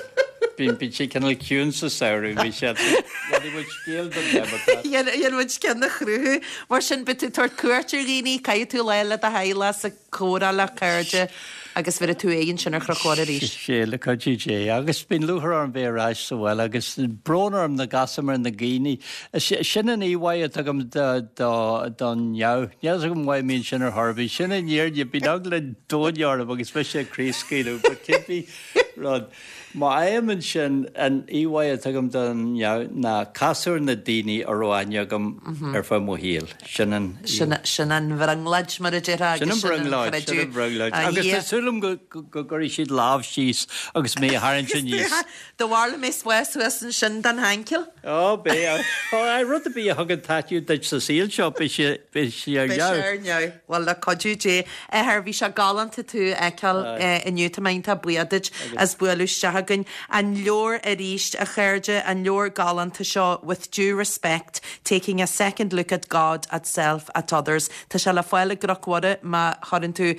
bíonn sé cineál ciúin sa samhradh, bhí sé, déanfaidh muid scéal don Democrat. Dhéanfaidh muid ceann a chruthú. Mar sin, beidh tú ag tabhairt cuairt ar dhaoine, caithfidh tú lá le do theaghlach 's ag comhrá le cairde agus bheirfidh tú aghaidh ansin ar Chnoc Mhuire arís. Sea, le cuidiú Dé. Agus bíonn lúcháir orm bheith ar ais sa bhaile agus brón orm nach gcasaim ar na daoine. Sin an íomhá atá agam don ndeamhan. Níl a fhios agam why a mbíonn sin ar chor ar bith. Sin an fhírinne. Bíonn eagla an domhain orm agus mise ag craobhscaoileadh. But cibé rud. Má fhaighim ansin, an íomhá atá agam don ndeamhan ná casadh ar na daoine a raibh aithne agam ar feadh mo shaoil. Sin an. Sin an bhrionglóid, mar a déarfá, agus sin an brionglóid, sin an bhrionglóid. Agus tá súil agam go gcuirfidh siad lámh síos agus mé a tharraingt aníos. Do bharr mé spás suas ansin don hainceal. Ó, beidh. Ó, rud ar bith a thugann taitneamh duit sa saol seo, beidh sé, beidh sé ar Beidh sé ar neamh. Bhuel, le cuidiú Dé. Athair, bhí sé galánta tú a fheiceáil inniu. Tá mé iontach buíoch duit as bualadh isteach chugainn. An leabhar arís, a chairde, an leabhar galánta seo, With Due Respect, Taking a Second Look at God, at Self, at Others. Tá sé le fáil i gCnoc Mhuire má chuireann tú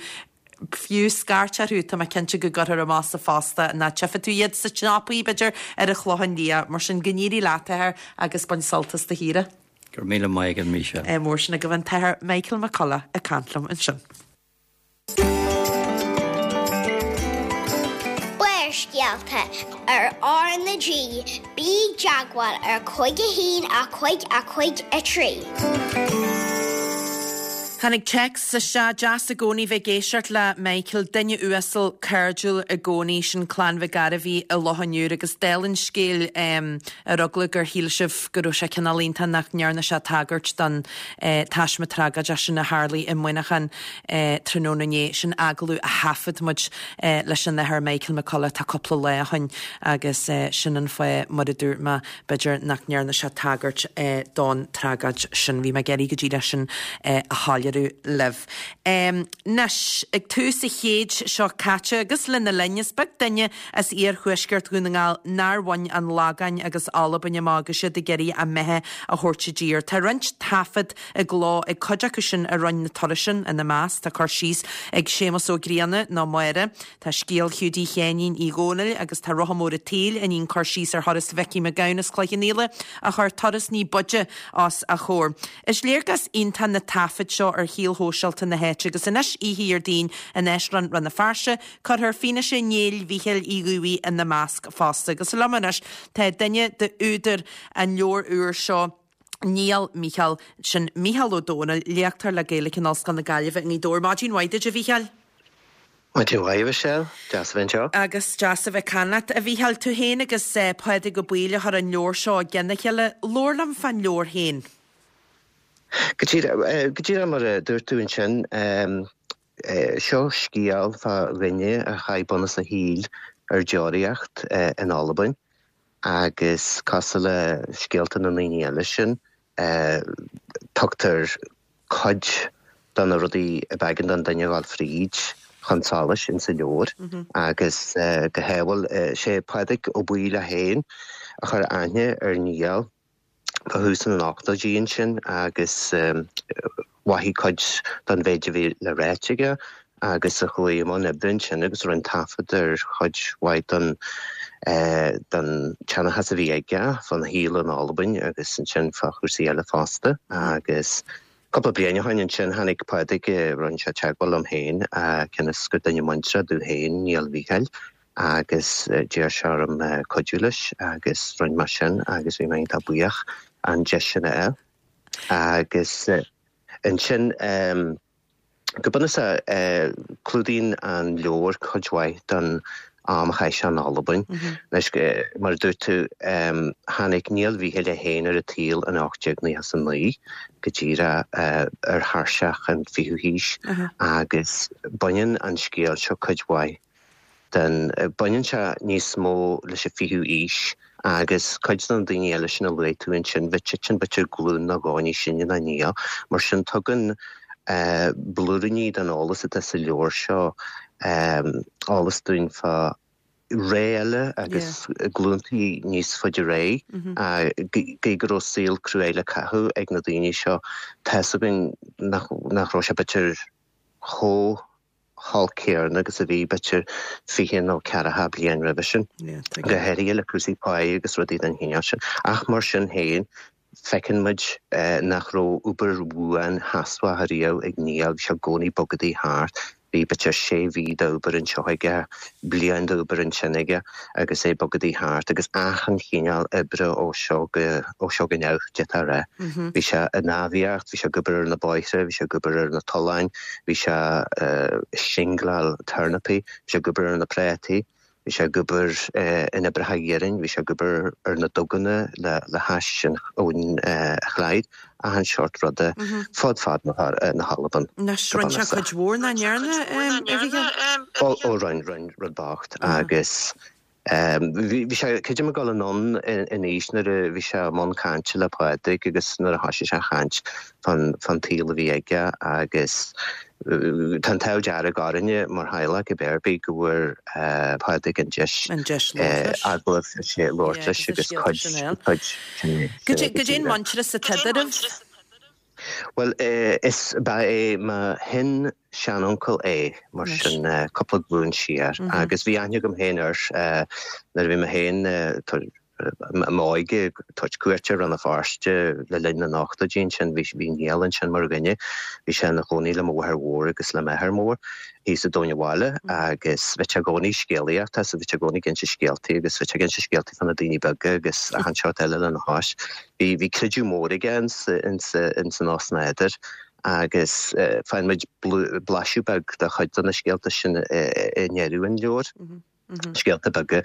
fiú scairt orthu, tá mé cinnte go gcuirfear amach sa phost é nó tchífidh tú iad sna siopaí, b'fhéidir, ar an Chlochán Liath. Mar sin, go n-éirí leat, a Athair, agus bain sult as do shaoire. Go raibh míle maith agat, Michelle. Ádh mór sin agaibh an tAthair Michael McCullough ag caint liom ansin. Barrscéalta ar R na G, bí i dteagmháil ar 5 1 5 5 3. Tháinig téacs isteach, deas i gcónaí bheith ag éisteacht le Michael, duine uasal, cairdiúil i gcónaí, sin Clann Mhic Gairbhí i Loch an Iúir agus dála an scéil ar eagla gur shíl sibh go raibh sé cineál iontach nach ndearna sé tagairt don taisme tragóideach sin a tharlaigh i Muineachán tráthnóna inné, sin agallamh a thaifead muid leis an Athair Michael McCullough tá cúpla lá ó shin agus sin an fáth mar a dúirt mé B'fhéidir nach ndearna sé tagairt don tragóid sin. Bhí mé ag iarraidh go díreach sin a shoiléiriú libh. Anois, ag tús an chéid seo caite agus lena linn, is beag duine as iarthuaisceart Dhún na nGall nár bhain an Lagáin agus Albain amach agus iad ag iarraidh a mbeatha a thabhairt i dtír. Tá roinnt taifead i gcló ag cuid acu sin a rinne na turais sin, ina measc tá cur síos ag Séamus Ó Grianna nó Máire, Tá scéal Hiúdaí Sheáinín Uí Dhónaill agus tá Rotha Mór an tSaoil i ndiaidh cur síos ar thuras Mhicí Mac Gabhann as Cloich Cheann Fhaola a chuir turas ní b'fhaide os a chomhair. Is léargas iontach na taifid seo ar shaol shóisialta na háite agus anois oíche Dhéardaoin in Áislann Rann na Feirste cuirfear fianaise Néill Mhíchíl Uí Dhubhthaigh ina measc fosta. Agus liom anois tá duine d'údair an leabhair úr seo, Néill Mhíchíl, sin Mícheál Ó Domhnaill, léachtóir le Gaeilge in Ollscoil na Gaillimhe i nGaoth Dobhair. Maidin mhaith duit, a Mhíchíl. Maidin mhaith, a Mhichelle. Deas a bheith anseo. Agus deas a bheith ag caint leat, a Mhíchíl. Tú féin agus Pádraig Ó Baoill a chuir an leabhar seo i gcionn a chéile. Labhair liom fán leabhar féin. Go díreach, go díreach mar a dúirt tú ansin, seo scéal fá dhuine a chaith bunús a shaoil ar deoraíocht in Albain agus cosúil le scéalta na ndaoine eile sin, tugtar cuid de na rudaí ab éigean don duine a dhul fríd chun solais insa leabhar agus go háirithe, sé Pádraig Ó Baoill é féin a chuir aithne ar Niall fá thús na n-ochtóidí ansin agus mhaithigh cuid den mhéid a bhí le ráit aige agus a chuaigh i mbun oibre ansin agus a rinne taifead ar chuid mhaith den den tseanchas a bhí aige fán shaol in Albain agus ansin fá chúrsaí eile fosta. Agus cúpla bliain ó shin ansin tháinig Pádraig, rinne sé teagmháil liom féin cionn is gur duine muinteartha domh féin Niall Mhíchíl agus d'iarr sé orm cuidiú leis agus rinne mé sin agus bhí mé iontach buíoch an deis sin a fháil. Agus ansin go bunúsach clúdaíonn an leabhar cuid mhaith den am a chaith sé in Albain. Anois, mar a dúirt tú, tháinig Niall Mhíchíl é féin ar an tsaol in 1899, go díreach ar thairseach an fichiú haois, agus baineann an scéal seo cuid mhaith den. Baineann sé níos mó leis an fichiú haois agus cuid de na daoine eile sin a luaigh tú ansin, bhí siadsan b'fhéidir glúin nó dhó níos sine ná Niall. Mar sin tugann blúiríní den eolas atá sa leabhar seo eolas dúinn fá ré eile agus glúntaí níos faide ar aghaidh. Gidh go raibh saol cruaidh le caitheamh ag na daoine seo, tá's againn nach raibh sé b'fhéidir chomh holc céanna agus a bhí b'fhéidir 20 nó ceathracha bliain roimhe sin, go háirithe le cúrsaí páí agus rudaí den chineál sin. Ach mar sin féin, feiceann muid nach raibh obair bhuan sheasmhach ariamh ag Niall, bhí sé i gcónaí ag bogadaí thart. Bhí b'fhéidir sé mhí d'obair anseo aige, bliain d'obair ansin aige agus é ag bogadaí thart agus achan chineál oibre ó seo go, ó seo go neamh, d'fhéadfá a rá. Bhí sé ag náibhíocht, bhí sé ag obair ar na bóithre, bhí sé ag obair ar na tolláin, Bhí sé ag singleáil tornapaí, bhí sé ag obair ar na prátaí, bhí sé ag obair in oibreacha iarainn, bhí sé ag obair ar na duganna le hais an abhainn Chlyde, achan seort ruda fud fad na hAlban. Anois, rinne sé cuid mhór nach ndearna, a Mhíchíl? Ó, rinne, rinne, rud bocht agus Bhí sé, creidim, ag dul anonn in aois nuair a bhí sé i mbun cainte le Pádraig agus nuair a thoisigh sé a chaint fán tsaol a bhí aige agus tá an t-ádh dearg orainne mar theaghlach cibé ar bith go bhfuair Pádraig an deis agallamh labhairt leis agus cuid Goidé an muintearas atá eadraibh? Bhuel, is ba é mo shin-seanuncail é, mar sin, cúpla glúin siar. Agus bhí aithne agam féin air nuair a bhí mé féin i m'óige ag tabhairt cuairte ar Rann na Feirste le linn na n-ochtóidí ansin. Bhí Niall ansin mar dhuine. Bhí sé ina chónaí le mo mháthair mhór agus le m'athair mór thíos i dTóin an Bhaile agus bhíodh sé i gcónaí ag scéalaíocht agus bhíodh sé i gcónaí ag inse scéaltaí agus bhíodh sé ag inse scéaltaí fá na daoine beaga agus achan seort eile lena chois. Bhí, bhí creideamh mór aige ins, ins, ins an osnádúr. Agus faigheann muid blaiseadh beag de chuid de na scéalta sin i ndeireadh an leabhair. Scéalta beaga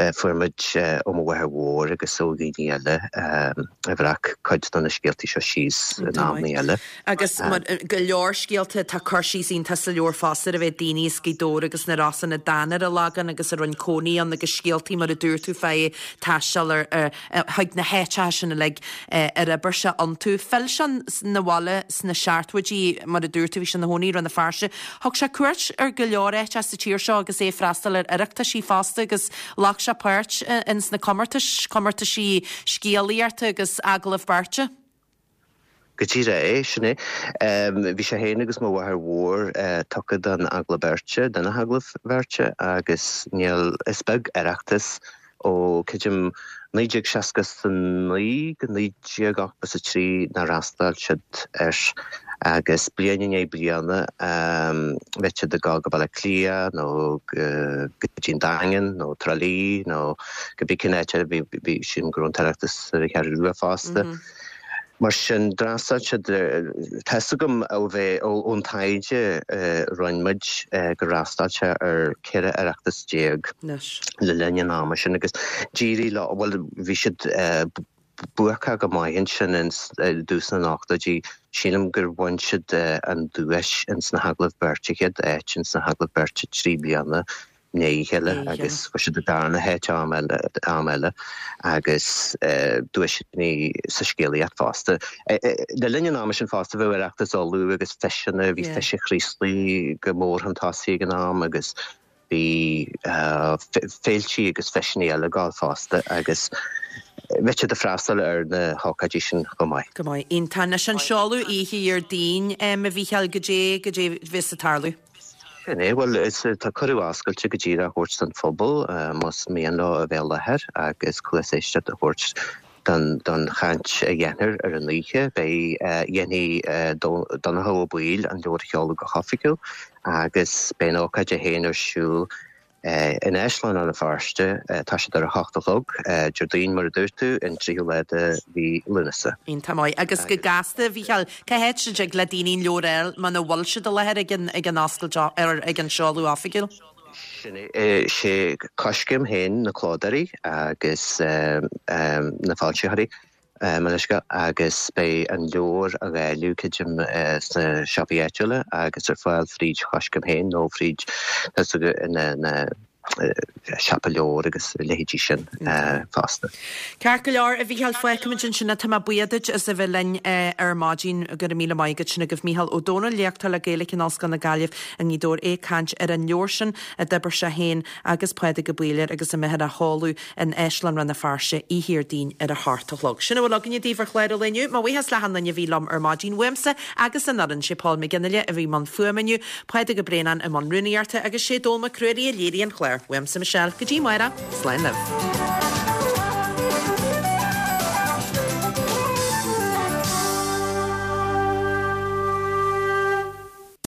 a fuair muid ó mo mháthair mhór agus ó dhaoine eile a bhreac cuid de na scéaltaí seo síos in amanna eile. Agus go leor scéalta, tá cur síos iontach sa leabhar fosta ar a bheith daoine as Gaoth Dobhair agus na Rosann a d'fhan ar an Lagán agus a rinne cónaí ann agus scéaltaí mar a dúirt tú fá taisteal ar chuig na háiteacha sin uilig ar oibir sé iontu. Phill sé 'na bhaile sna seachtóidí, mar a dúirt tú, bhí sé ina chónaí i Rann na Feirste. Thug sé cuairt ar go leor áiteacha sa tír seo agus é ag freastal ar Oireachtaisí fosta agus ghlac sé páirt ins na comórtais, comórtaisí scéalaíochta agus agallamh beirte. Go díreach é, sin é. Bhí sé féin agus mo mháthair mhór tugtha don agallamh beirte, do na hagallaimh bheirte, agus níl, is beag Oireachtas ó, creidim, 1969 go 1983 nár fhreastail siad air agus bliain i ndiaidh bliana bheadh siad ag dul go Baile Átha Cliath nó go dtí an Daingean nó Trá Lí nó cibé cén áit eile, bhí, sílim go raibh an tOireachtas ar an Cheathrú Rua fosta. Mar sin, d'fhreastail siad ar, tá fhios agam ó bheith, ón taighde a rinne muid, gur fhreastail sé ar 14 Oireachtas le linn an ama sin agus d'éirigh leo, bhuel, bhí siad buacach go maith ansin i dtús na n-ochtóidí, sílim gur bhain siad an duais ins na hagallaimh beirte, chéad áit ins na hagallaimh beirte 3 bliana i ndiaidh a chéile agus fuair siad an darna háit am eile, am eile agus duaiseanna sa scéalaíocht fosta. Le linn an ama sin fosta bheadh Oireachtas Uladh agus feiseanna, bhí Feis an Chraoslaigh go mór chun tosaigh ag an am agus bhí féiltí agus feiseanna eile ag gabháil fosta agus bheadh siad ag freastal ar na hócáidí sin chomh maith. Go maith. Iontach. Anois an seoladh oíche Dhéardaoin, a Mhícheáil, goidé, goidé bheas ag tarlú? Sin é. Bhuel, is tá cuireadh oscailte go díreach á thabhairt don phobal más mian leo a bheith i láthair agus cluas éisteachta a thabhairt don don chaint a dhéanfar ar an oíche. Beidh, dhéanfaidh Donncha Ó Baoill an leabhar a sheoladh go hoifigiúil agus beidh an ócáid é féin ar siúl In Áislann Rann na Feirste, tá siad ar a hocht a chlog, Déardaoin mar a dúirt tú, an tríú lá de mhí Lúnasa. Iontach maith. Agus go gasta, a Mhícheáil, cá háit a dtig le daoine an leabhar a fháil muna bhfuil siad i láthair ag an ag an oscailt ar ag an seoladh oifigiúil? Sin é. Sé Coiscéim féin na clódóirí agus na foilsitheoirí. Mo leithscéal, agus beidh an leabhar á dháileadh, creidim, sna siopaí áitiúla agus ar fáil fríd Choiscéim féin nó fríd na siopa leabhar agus a leithéidí sin fosta. Ceart go leor, a Mhícheáil, fágfaimid ansin é. Tá mé buíoch duit as a bheith linn ar maidin. Go raibh míle maith agat. Sin agaibh Mícheál Ó Domhnaill, léachtóir le Gaeilge in Ollscoil na Gaillimhe i nGaoth Dobhair, é ag caint ar an leabhar sin a d'oibir sé féin agus Pádraig Ó Baoill air agus a mbeifear á sheoladh in Áislann Rann na Feirste oíche Dhéardaoin ar a hocht a chlog. Sin a bhfuil againne daoibh ar chlár an lae inniu. Mo bhuíochas le hachan duine a bhí liom ar maidin uaimse agus an fhoireann. Sé Paul McGinley a bhí i mbun fuaime inniu, Pádraig Ó Braonáin i mbun rúnaíochta agus sé Dónall Mac Ruairí a léirigh an clár. Uaimse Michelle, go dtí amárach, slán libh.